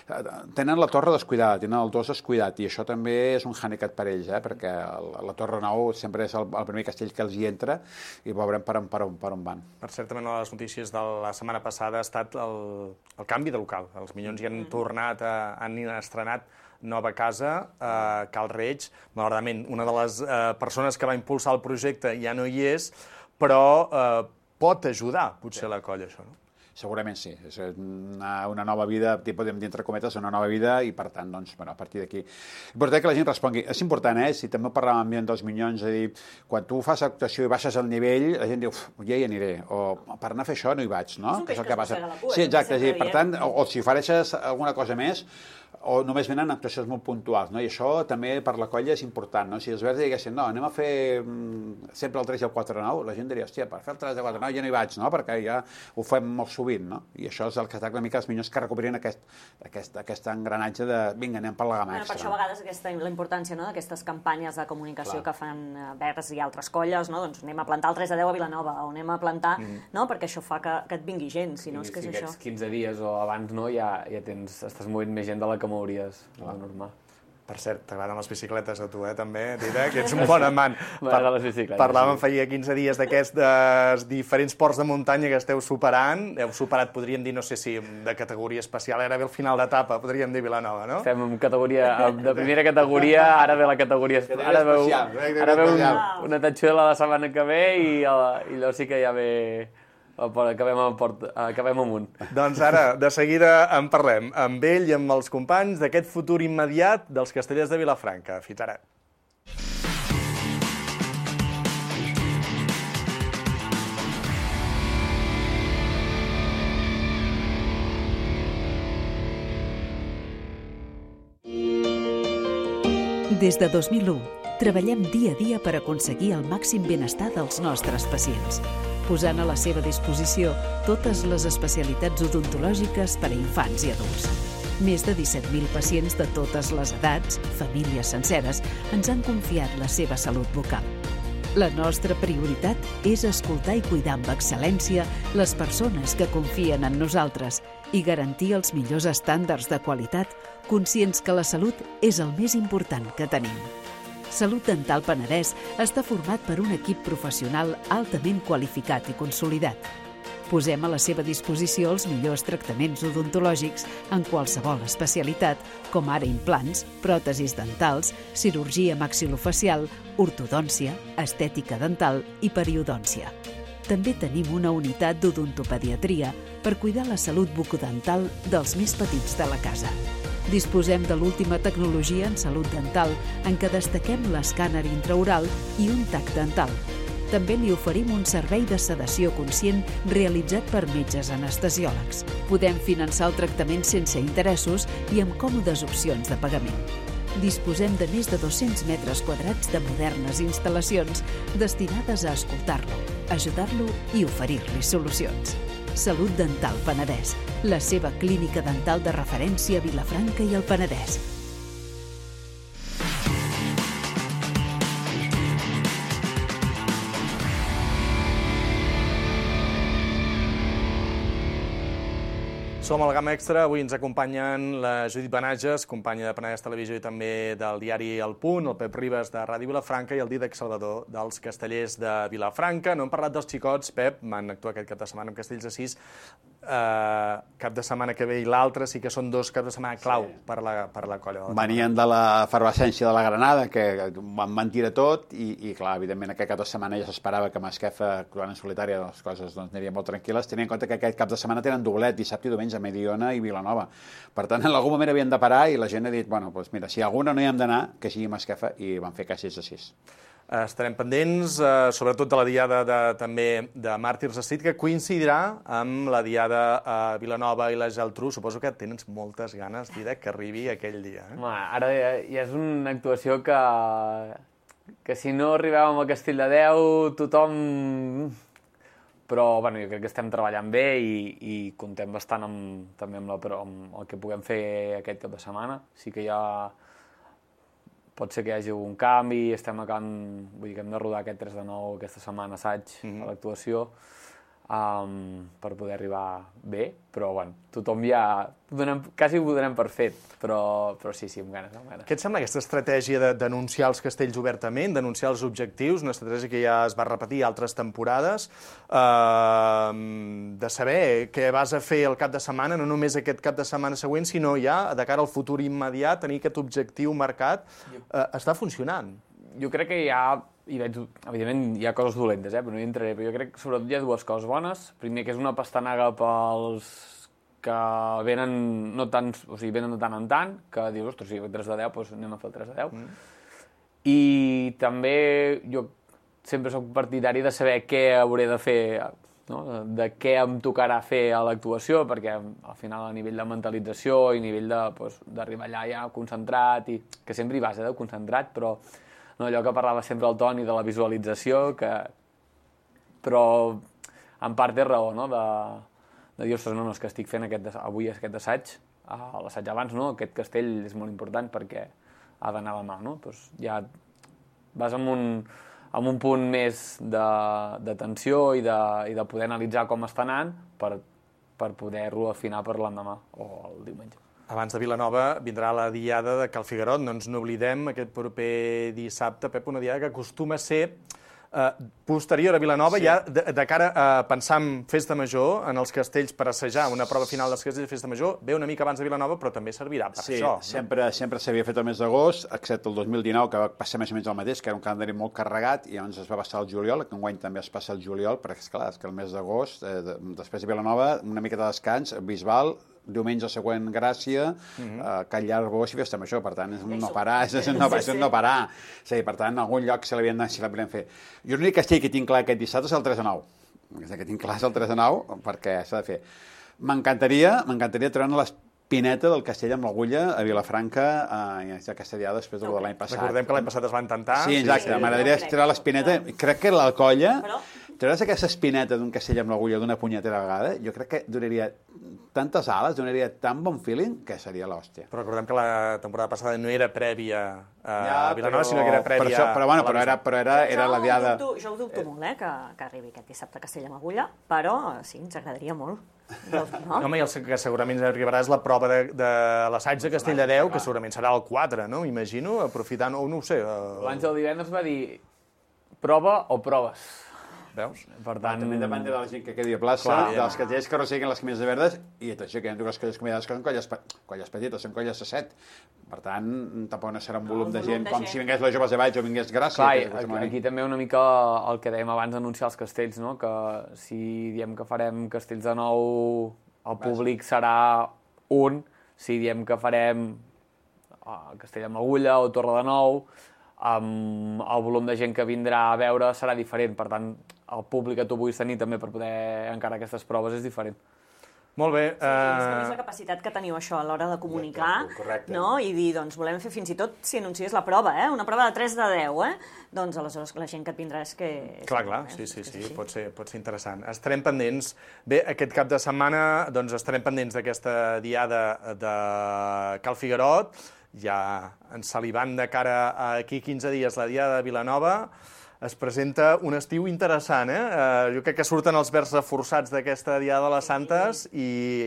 Tenen la torre descuidada, tenen el dos descuidat i això també és un hàndicap per ells, eh? Perquè el, la Torre Nou sempre és el, el primer castell que els hi entra i veurem per on, per on, per on van. Per cert, també una de les notícies de la setmana passada ha estat el, el canvi de local. Els Minyons hi han tornat, a, han estrenat nova casa, eh, Cal Reig. Malauradament, una de les eh, persones que va impulsar el projecte ja no hi és, però eh, pot ajudar, potser, la colla, això, no? Segurament sí, és una, una nova vida, podem dir entre cometes, una nova vida i per tant, doncs, bueno, a partir d'aquí. Important que la gent respongui. És important, eh? Si també parlàvem ambient dels Minyons, és a dir, quan tu fas actuació i baixes el nivell, la gent diu, ja hi aniré, o per anar a fer això no hi vaig, no? És un peix que, que es mossega la cua. Sí, exacte, és a dir, per tant, o, o si ofereixes alguna cosa més, o només venen actuacions molt puntuals, no? I això també per la colla és important, no? Si els verds diguessin, no, anem a fer mm, sempre el tres i el quatre nou, la gent diria, hòstia, per fer el tres i el quatre nou ja no hi vaig, no? Perquè ja ho fem molt sovint, no? I això és el que està una mica els Minyons que recuperin aquest, aquest, aquest engranatge de, vinga, anem per la gamma extra. Per això a vegades aquesta, la importància, no?, d'aquestes campanyes de comunicació Clar. que fan verds i altres colles, no? Doncs anem a plantar el tres a deu a Vilanova, o anem a plantar, mm. no? Perquè això fa que, que et vingui gent, si no és que és si això. Si aquests quinze dies o abans no, ja, ja tens, estàs movent més gent de la que mouries. Normal. Per cert, t'agraden les bicicletes a tu, eh, també, Dida, que ets un bon amant. M'agraden les bicicletes. Parlàvem feia quinze dies d'aquests diferents ports de muntanya que esteu superant. Heu superat, podríem dir, no sé si de categoria especial, ara ve el final d'etapa, podríem dir Vilanova, no? Estem en categoria, de primera categoria, ara ve la categoria... Ara veu, ara veu una tatxuela la setmana que ve i, i llavors sí que ja ve... Acabem, port, acabem amunt. Doncs ara, de seguida en parlem amb ell i amb els companys d'aquest futur immediat dels Castellers de Vilafranca. Fins ara. Des de dos mil u, treballem dia a dia per aconseguir el màxim benestar dels nostres pacients, posant a la seva disposició totes les especialitats odontològiques per a infants i adults. Més de disset mil pacients de totes les edats, famílies senceres, ens han confiat la seva salut bucal. La nostra prioritat és escoltar i cuidar amb excel·lència les persones que confien en nosaltres i garantir els millors estàndards de qualitat, conscients que la salut és el més important que tenim. Salut Dental Penedès està format per un equip professional altament qualificat i consolidat. Posem a la seva disposició els millors tractaments odontològics en qualsevol especialitat, com ara implants, pròtesis dentals, cirurgia maxilofacial, ortodòncia, estètica dental i periodòncia. També tenim una unitat d'odontopediatria per cuidar la salut bucodental dels més petits de la casa. Disposem de l'última tecnologia en salut dental, en què destaquem l'escàner intraoral i un tac dental. També li oferim un servei de sedació conscient realitzat per metges anestesiòlegs. Podem finançar el tractament sense interessos i amb còmodes opcions de pagament. Disposem de més de dos-cents metres quadrats de modernes instal·lacions destinades a escoltar-lo, ajudar-lo i oferir-li solucions. Salut Dental Penedès, la seva clínica dental de referència a Vilafranca i el Penedès. Som al Gamma Extra, avui ens acompanyen la Judit Benages, companya de Penedès Televisió i també del diari El Punt, el Pep Ribas de Ràdio Vilafranca i el Dídac Salvador dels Castellers de Vilafranca. No hem parlat dels xicots, Pep, van actuar aquest cap de setmana amb Castells de sis. eh, cap de setmana que ve i l'altre sí que són dos caps de setmana clau sí. per, la, per la colla. Venien de l'efervescència de la Granada, que van mentir tot, i, i clar, evidentment aquest cap de setmana ja s'esperava que Masquefa, actuant en solitària, les coses doncs, anirien molt tranquil·les, tenint en compte que aquest cap de setmana tenen doblet, dissabte i diumenge, a Mediona i Vilanova. Per tant, en algun moment havien de parar i la gent ha dit, bueno, doncs mira, si alguna no hi hem d'anar, que sigui Masquefa, i van fer cas sis de sis. Estarem pendents, eh, sobretot de la diada de, també de Màrtirs Street, que coincidirà amb la diada a Vilanova i la Geltrú. Suposo que tens moltes ganes, Didac, que arribi aquell dia. Eh? Home, ara ja, ja és una actuació que, que si no arribàvem a Castell de Déu, tothom... Però bueno, jo crec que estem treballant bé i, i contem bastant amb, també amb, la, amb el que puguem fer aquest cap de setmana. Sí que hi ha... Pot ser que hi hagi un canvi, estem acabant, vull dir que hem de rodar aquest tres de nou aquesta setmana assaig mm-hmm. a l'actuació um, per poder arribar bé, però bueno, tothom ja, donem, quasi ho donem per fet, però, però sí, sí, amb ganes, amb ganes. Què et sembla aquesta estratègia de denunciar els castells obertament, denunciar els objectius, una estratègia que ja es va repetir altres temporades, eh, de saber què vas a fer el cap de setmana, no només aquest cap de setmana següent, sinó ja, de cara al futur immediat, tenir aquest objectiu marcat, eh, està funcionant. Jo crec que hi ha, hi veig, evidentment hi ha coses dolentes, eh, però no hi entraré, però jo crec que sobretot hi ha dues coses bones. Primer, que és una pastanaga pels que venen no tant, o sigui, venen de tant en tant, que dius, ostres, si tres de deu, doncs anem a fer el tres de deu. Mm. I també jo sempre soc partidari de saber què hauré de fer, no? De què em tocarà fer a l'actuació, perquè al final a nivell de mentalització i a nivell d'arribar allà ja concentrat, i que sempre hi vas, eh, de concentrat, però no, allò que parlava sempre el Toni de la visualització, que... però en part té raó, no? De, de dir, ostres, no, no, és que estic fent aquest, avui aquest assaig, a l'assaig abans, no? Aquest castell és molt important perquè ha d'anar a la mà, no? Doncs ja vas amb un, amb un punt més de, de tensió i de, i de poder analitzar com està anant per, per poder-lo afinar per l'endemà o el diumenge. Abans de Vilanova vindrà la diada de Cal Figuerot, no ens n'oblidem, aquest proper dissabte, Pep, una diada que acostuma a ser eh, posterior a Vilanova, sí. Ja de, de cara a pensar en Festa Major, en els castells per assajar una prova final dels castells de Festa Major, ve una mica abans de Vilanova, però també servirà per sí, això. Sí, sempre, no? sempre s'havia fet el mes d'agost, excepte el dos mil dinou, que va passar més o menys el mateix, que era un calendari molt carregat, i llavors es va passar el juliol, que enguany també es passa el juliol, perquè, esclar, és que el mes d'agost, eh, després de Vilanova, una mica de descans, Bisbal, diumenge següent Gràcia, mm-hmm. eh, Can Llargós i Festa Major, per tant, és un no parar, és, és, un no, és un no parar. Sí, per tant, en algun lloc se l'havien si l'havien fer. Jo l'únic castell que tinc clar aquest dissabte és el tres de nou. El que tinc clar és el tres de nou, perquè s'ha de fer. M'encantaria, m'encantaria treure l'espineta del castell amb l'agulla a Vilafranca eh, aquesta diada després de l'any passat. Recordem que l'any passat es va intentar. Sí, exacte, sí, sí. M'agradaria treure l'espineta. Crec que la colla... Però... Treure's aquesta espineta d'un castell amb l'agulla d'una punyetera vegada, jo crec que donaria tantes ales, donaria tan bon feeling, que seria l'hòstia. Però recordem que la temporada passada no era prèvia a ja, Vilanova, però... sinó que era prèvia... Per això, però bueno, però era, però era, era la diada... Jo, jo ho dubto eh... molt, eh, que, que arribi aquest dissabte a Castell amb agulla, però sí, ens agradaria molt. No? Home, i el que segurament arribarà és la prova de, de l'assaig de Castell de Déu, que segurament serà el quatre, no? M'imagino, aprofitant, o no ho sé... Uh... L'Àngel divendres va dir prova o proves. Veus? Per tant... També depèn de la gent que quedi a plaça, clar, dels castells que resseguin les camises verdes, i tot això, que hi ha dues colles convidades que són colles, colles petites, són colles de set. Per tant, tampoc no serà un volum no, de gent com gent. Si vingués les joves de Valls o vingués Gràcia. Clar, aquí, aquí també una mica el que dèiem abans d'anunciar els castells, no? Que si diem que farem castells de nou, el públic serà un, si diem que farem uh, Castell amb agulla o Torre de Nou, um, el volum de gent que vindrà a veure serà diferent, per tant, el públic que tu puguis tenir també per poder encarar aquestes proves és diferent. Molt bé. Sí, uh... és que és la capacitat que teniu això a l'hora de comunicar, correcte, no? I dir, doncs, volem fer fins i tot, si anunciés la prova, eh? Una prova de tres de deu, eh? Doncs aleshores la gent que et vindrà és que... Clar, clar, sí, sí, sí, pot ser, pot ser interessant. Estarem pendents. Bé, aquest cap de setmana, doncs, estarem pendents d'aquesta diada de Cal Figuerot, ja ens salivant de cara a aquí quinze dies la diada de Vilanova. Es presenta un estiu interessant, eh? Uh, jo crec que surten els verbs reforçats d'aquesta Diada de les Santes i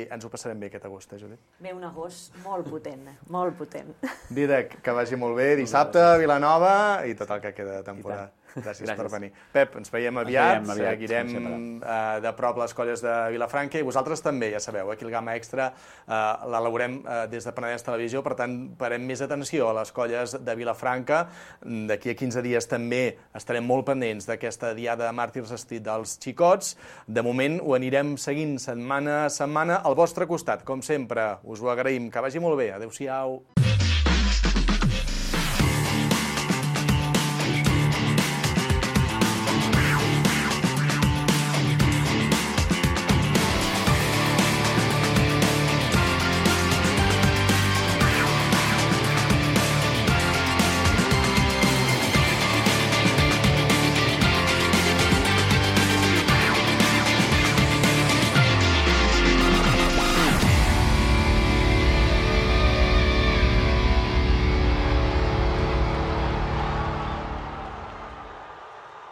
ens ho passarem bé aquest agost, eh, Judit? Ve un agost molt potent, molt potent. Didac, que vagi molt bé dissabte, Vilanova i tot el que queda de temporada. Gràcies, Gràcies per venir. Pep, ens veiem aviat, ens veiem aviat seguirem uh, de prop les colles de Vilafranca i vosaltres també, ja sabeu, aquí el Gamma Extra uh, l'elaborem uh, des de Penedès Televisió, per tant, parem més atenció a les colles de Vilafranca. D'aquí a quinze dies també estarem molt pendents d'aquesta diada de Màrtirs Street dels xicots. De moment ho anirem seguint setmana a setmana al vostre costat, com sempre. Us ho agraïm. Que vagi molt bé. Adéu-siau.